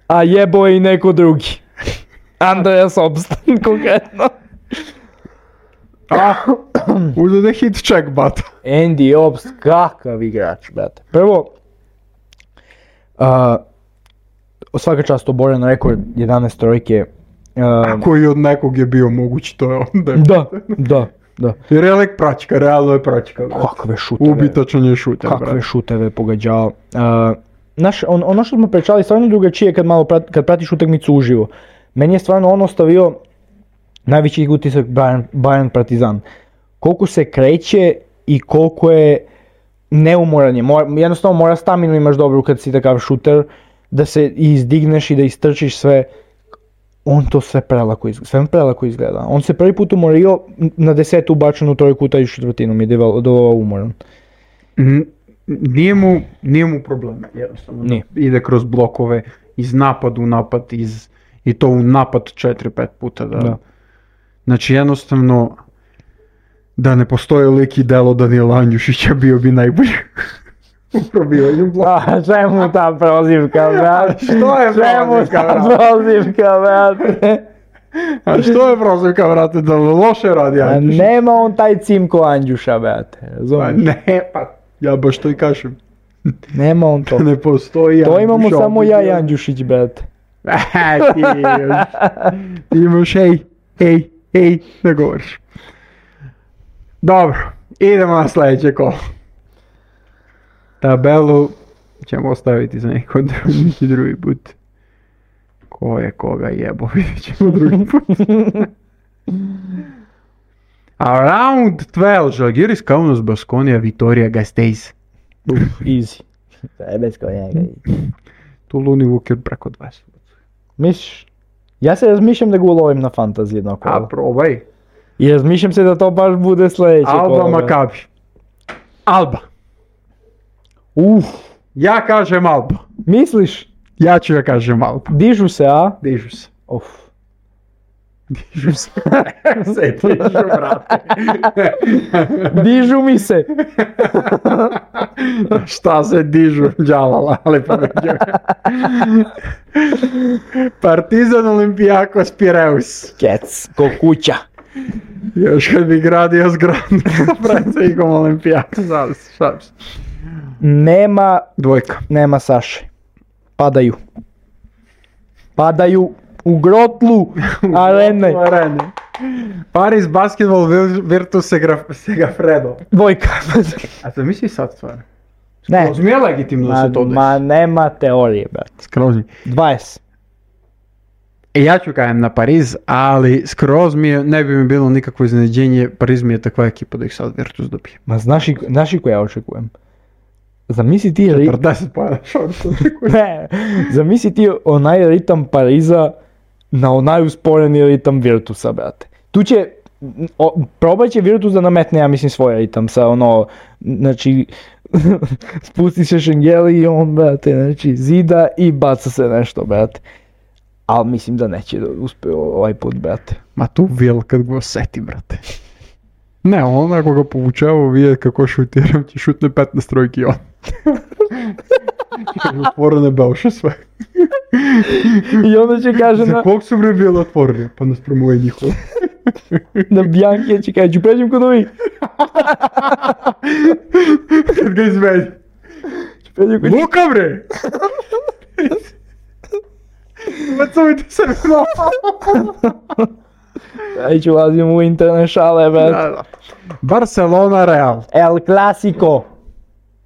A jebo je i neko drugi. Andreas Obst, konkretno. A, uzde hit check, bat. Andy Obst, kakav igrač, brate. Prvo, uh, svaka čast oboren rekord jedanaest trojke. Uh, koji od nekog je bio mogući, to je onda. Da, da, da. Jer je lik praćka, realno je praćka. Kakve šuteve. Ubitačan je šuter, Kakve brate. šuteve pogađao. Uh, naš, on, ono što smo pričali, stvarno drugačije kad malo prat, kad pratiš utakmicu uživo. Meni je stvarno on ostavio najveći utisak Bayern, Bayern Partizan. Koliko se kreće i koliko je neumoran je. Mora, jednostavno mora staminu imaš dobru kad si takav šuter, da se izdigneš i da istrčiš sve. On to sve prelako izgleda, sve prelako izgleda. On se prvi put umorio na desetu ubačenu trojku u taj četvrtinu, mi je dovao umoran. Mm, nije, mu, nije mu problema, jednostavno. Nije. Ide kroz blokove, iz napad u napad, iz, i to u napad četiri pet puta. Da. Da. Znači jednostavno, da ne postoje lik i delo Danijela Andjušića, bio bi najbolji. U probivanju bloka. A čemu ta prozivka, brate? Što je Čemu prozivka, ta brate? prozivka, brate? A što je prozivka, brate, da loše radi A Andjušić? nema on taj cimko Andjuša, brate, Pa razumiješ? ne, pa ja baš to i kažem. Nema on to. Ne postoji To imamo Andjuš, samo ovdje ja i bio- Andjušić, brate. E, ti imaš, ti imaš, hej, hej, hej, ne govoriš. Dobro, idemo na sljedeće kolo. Tabelu ćemo ostaviti za neko drugi, neki drugi put. Ko je koga jebo, vidjet ćemo drugi put. A round dvanaest, Žalgiris, Kaunas, Baskonija, Vitorija, Gasteiz. Easy. Bez konjega. Tu Luni Vuker preko dvadeset. Misliš? Ja se razmišljam da ga ulovim na fantasy jedno A kolo. probaj. I razmišljam se da to baš bude sljedeće kolo. Alba, Makabi. Alba. Uf, Ja kažem Alba. misliš? Ja ću ja kažem Alba. Dižu se, a? Dižu se. Uf. Dižu se. se dižu, brate. Dižu mi se. Šta se dižu? Džalala, ali poveđuje. Partizan, Olimpijakos, Pireus. Kec, ko kuća. Još kad bi gradio zgradu sa predsjednikom Olimpijakosa, ali šalim se. Nema, Dvojka. nema Saše. Padaju. Padaju u grotlu arene. Arene. Paris Basketball Virtus Segra- Segafredo. Dvojka. A to misli sad stvarno? Ne. Skroz mi je legitimno da Ma, se to desi. ma nema teorije, brate. Skroz mi. dvadeset. E, ja ću kajem na Pariz, ali skroz mi je, ne bi mi bilo nikakvo iznenađenje, Pariz mi je takva ekipa da ih sad Virtus dobije. Ma znaš i, znaš i ko ja očekujem? Zamisli ti, ri... četrdeset pojena šorca očekujem. ne, zamisli ti onaj ritam Pariza na onaj usporeni ritam Virtusa, brate. Tu će, o, probat će Virtus da nametne, ja mislim, svoj ritam sa ono, znači, spusti se Šengeli i on, brate, znači, zida i baca se nešto, brate. Ali mislim da neće da uspe ovaj put, brate. Ma tu Vil kad ga osjeti, brate. Ne, on ako ga povučava, vidjet kako šutiram, ti šutne petnaest trojki on. Otvorene belše sve. I onda će kaže Za na, kog su bre bile otvorene? Pa nas promoje njihovo. na Bjankija će kaže, ću pređem kod ovih. Kad ga izvedi. Ću pređem kod Luka bre! Bacujte se na Aj ću ulazim u interne šale, brate. Barcelona Real. El Clasico.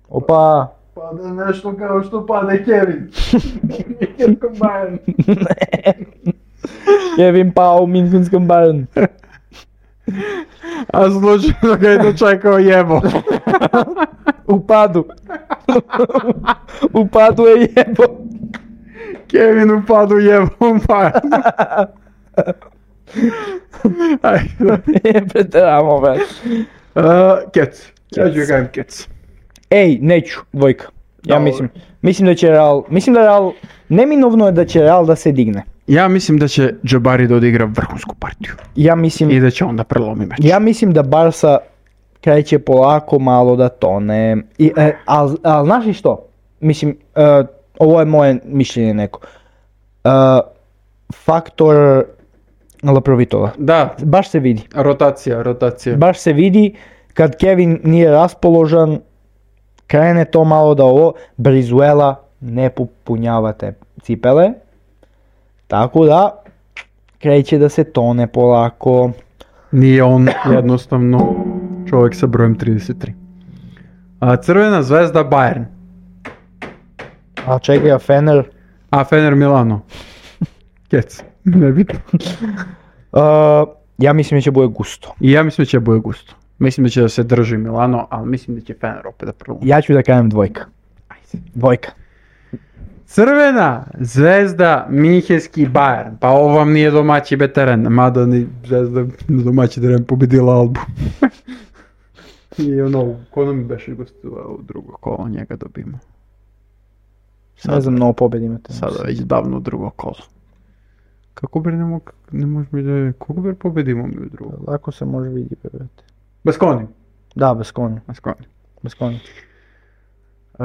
Opa. Pada nešto kao što pade Kevin. Bayern. Kevin pao u Minhenskom Bayern. A slučajno ga je dočekao jebo. U padu. U padu je jebo. Kevin u padu jebo u Bayern. Ajde. Je preteramo, brate. Uh, Kec. Ja ću ga kajem Kec. Ej, neću, dvojka. Ja Dobro. mislim, mislim da će Real, mislim da Real, neminovno je da će Real da se digne. Ja mislim da će Jabari da odigra vrhunsku partiju. Ja mislim, I da će onda prelomi meč. ja mislim da Barsa kreće polako malo da tone. I, e, ali al, znaš li što? Mislim, e, ovo je moje mišljenje neko. E, faktor Laprovitola. Da, Baš se vidi. rotacija, rotacija. Baš se vidi kad Kevin nije raspoložan, krene to malo da ovo, Brizuela ne popunjava te cipele. Tako da, kreće da se tone polako. Nije on jednostavno čovjek sa brojem trideset tri. A Crvena zvezda Bayern. A čekaj, a Fener? A Fener Milano. Kec, nebitno. Uh, ja mislim da će bude gusto. I ja mislim da će bude gusto. Mislim da će da se drži Milano, ali mislim da će Fener opet da prvo. Ja ću da kažem dvojka. Dvojka. Crvena zvezda Minhenski Bayern. Pa ovo vam nije domaći teren, mada ni zvezda na domaći teren pobedila Albu. I ono, ko nam beše gostovao u drugo kolo, njega dobimo. Ne znam, mnogo pobjedi imate. Sada već davno u drugo kolo. Kako bre ne, mog, ne može mi da je, koliko bre pobedimo mi u drugo? Lako se može vidjeti, brate. Bez koni. Da, bez konja. Bez koni. Bez konja. Uh,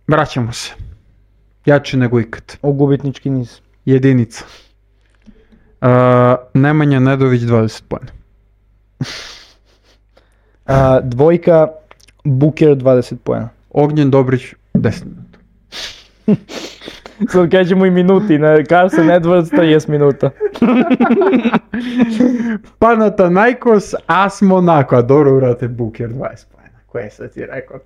vraćamo se. Jače nego ikad. U gubitnički niz. Jedinica. Uh, Nemanja Nedović dvadeset poena. Uh, dvojka, Buker dvadeset poena. Ognjen Dobrić deset minuta. Sad kažemo i minuti, ne? Carson Edwards trideset minuta. Panathinaikos, AS Monaco, a dobro vrate Buker dvadeset poena. Koje sad ti rekao?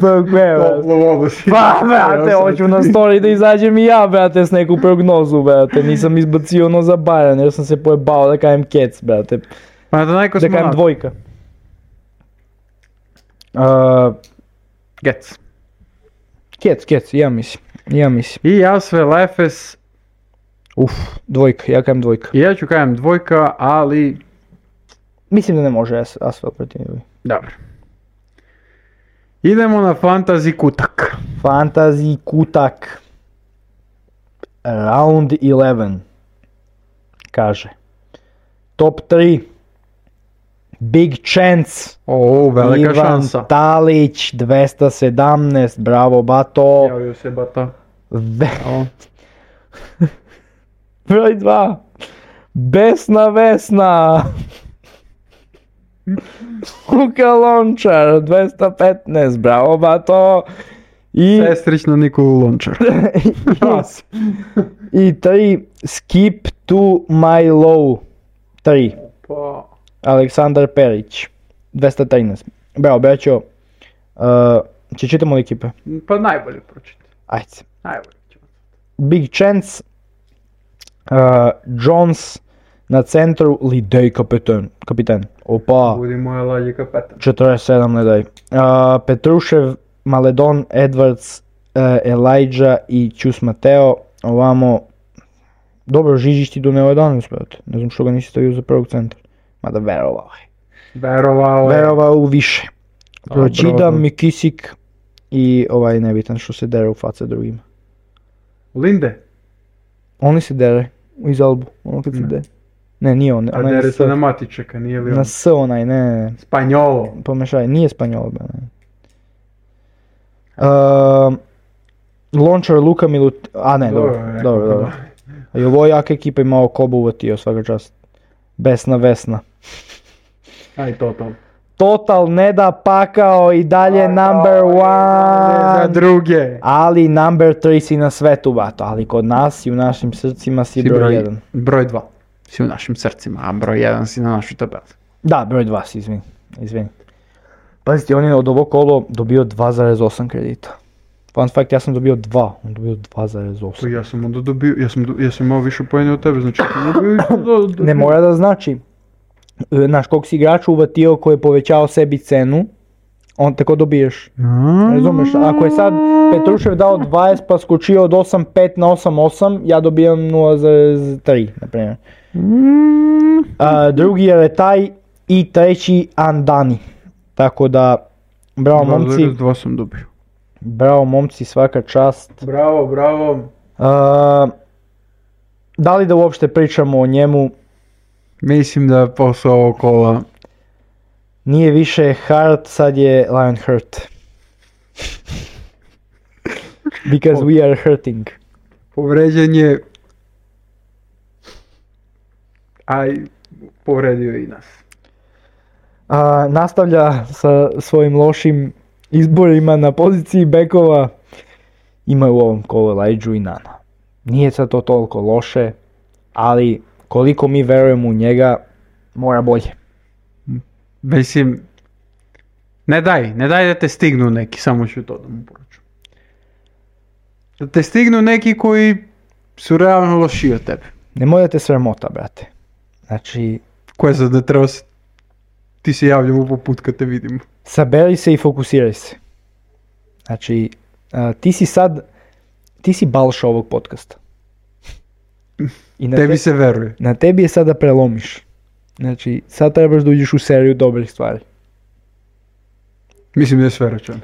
Pa koje, Toplu vodu si. Pa, brate, hoću na story da izađem i ja, brate, s neku prognozu, brate. Nisam izbacio ono za Bayern, jer sam se pojebao da kajem Kec, brate. Panathinaikos Da kajem Monaco. dvojka. Uh, Gec. Kec, Kec, ja mislim. Ja mislim. I Asvel Efes. Uf, dvojka, ja kajem dvojka. I ja ću kajem dvojka, ali... Mislim da ne može As- Asvel protiv njega. Dobro. Idemo na fantasy kutak. Fantasy kutak. Round eleven. Kaže. Top tri. Big chance. O, velika Ivan šansa. Talić, dvesta sedamnaest. Bravo, Bato. Javio se Bata. Ve- O. Broj dva. Besna Vesna. Luka Lončar, dvesta petnaest. Bravo, Bato. I... Sestrić na Nikolu Lončar. I tri, skip to my low. tri. Pa... Aleksandar Perić, dvesta trinaest. Bravo, braćo. Uh, će čitamo li ekipe? Pa najbolje pročiti. Ajde. Najbolje ćemo. Big chance. Uh, Jones na centru, Lidej kapitan. kapitan. Opa, Budi moja lađi kapetan. četrdeset sedam ne daj. Uh, Petrušev, Maledon, Edwards, uh, Elijah i Ćus Mateo. Ovamo, dobro, Žižić ti doneo jedanaest, brate. Ne znam što ga nisi stavio za prvog centra. Mada verovao je. Verovao je. Verovao u više. Pročidam, Dobro. Mikisik i ovaj nebitan što se dere u face drugima. Linde. Oni se dere iz Albu, ono kad se Ne. dere. Ne, nije on, A onaj dere na se S. na Matičeka, nije li on? Na S onaj, ne, Spanjolo. pomešaj, nije Spanjol, be, ne. Uh, Lončar, Luka Milut... A ne, dobro, je, dobro, dobro. A i ovo jaka ekipa imao Kobu uvatio, svaka čast. Besna Vesna. Aj to to. Total ne da pakao i dalje number Za one. druge. Ali number tri si na svetu, bato. Ali kod nas i u našim srcima si, Si broj jedan. Broj dva. Si u našim srcima, a broj jedan si na našoj tabeli. Da, broj dva si, izvini. izvini. Pazite, on je od ovog kolo dobio dva zarez osam kredita. Fun fact, ja sam dobio dva, on dobio dva zarez Pa osam. ja sam onda dobio, ja sam, do- ja sam imao više poena od tebe, znači sam dobio i do, do, Ne mora da znači. E, Znaš, kog si igrača uvatio koji je povećao sebi cenu, on tako dobiješ. Razumeš, ako je sad Petrušev dao dvadeset pa skočio od osam pet na osam osam, ja dobijam nula zarez tri, na primjer. A, drugi je Retaj i treći Andani. Tako da, bravo momci, Dva sam dobio. Bravo momci, svaka čast. Bravo, bravo. Uh, da li da uopšte pričamo o njemu? Mislim da posle ovog kola nije više Hart, sad je Lionheart. Because we are hurting. Povređen je, a povredio i nas. A, nastavlja sa svojim lošim izborima na poziciji bekova. Ima u ovom kolu Elijah i Nana. Nije sad to toliko loše, ali koliko mi verujemo u njega, mora bolje. Mislim, ne daj, ne daj da te stignu neki, samo ću to da mu poruču. Da te stignu neki koji su realno lošiji od tebe. Nemoj da te sramota, brate. Znači... Koje sad da treba se... Ti se javljamo po put kad te vidimo. Saberi se i fokusiraj se. Znači, a, ti si sad... Ti si Balša ovog podcasta. I na tebi te, se veruje. Na tebi je sad da prelomiš. Znači, sad trebaš da uđeš u seriju dobrih stvari. Mislim da je sve račun.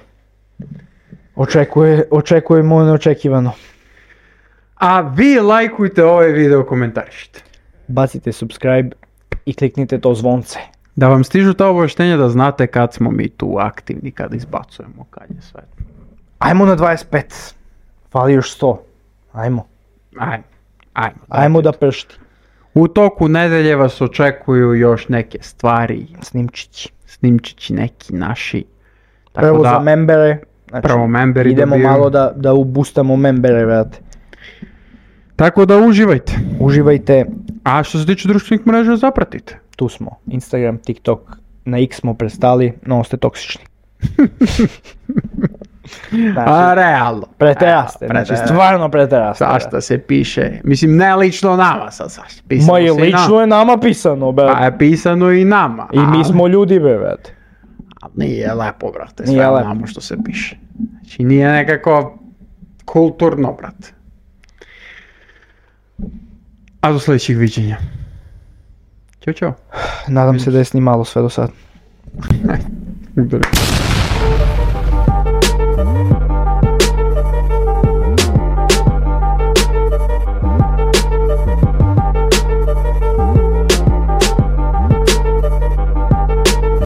Očekuje, očekujemo neočekivano. A vi lajkujte ovaj video, komentarišite. Bacite subscribe i kliknite to zvonce. Da vam stižu ta obavještenja da znate kad smo mi tu aktivni, kad izbacujemo, kad je sve. Ajmo na dvadeset pet. Fali još sto. Ajmo. Ajmo. Ajmo, Ajmo da pršti. U toku nedelje vas očekuju još neke stvari. Snimčići. Snimčići neki naši. Tako prvo da, za membere. Znači, prvo memberi idemo dobiju. malo da, da ubustamo membere, vrate. Tako da uživajte. Uživajte. A što se tiče društvenih mreža, zapratite. Tu smo. Instagram, TikTok. Na X smo prestali, no ste toksični. Znači, a realno. Preteraste, znači stvarno preteraste. Zašto se piše, mislim ne lično nama sad, sad Ma je lično nam. Je nama pisano, brate. Pa je pisano i nama. I ali... mi smo ljudi, brate. Ali nije lepo, brate, sve znamo što se piše. Znači nije nekako kulturno, brate. A do sljedećih viđenja. Ćao, čao. Nadam se da je snimalo sve do sad.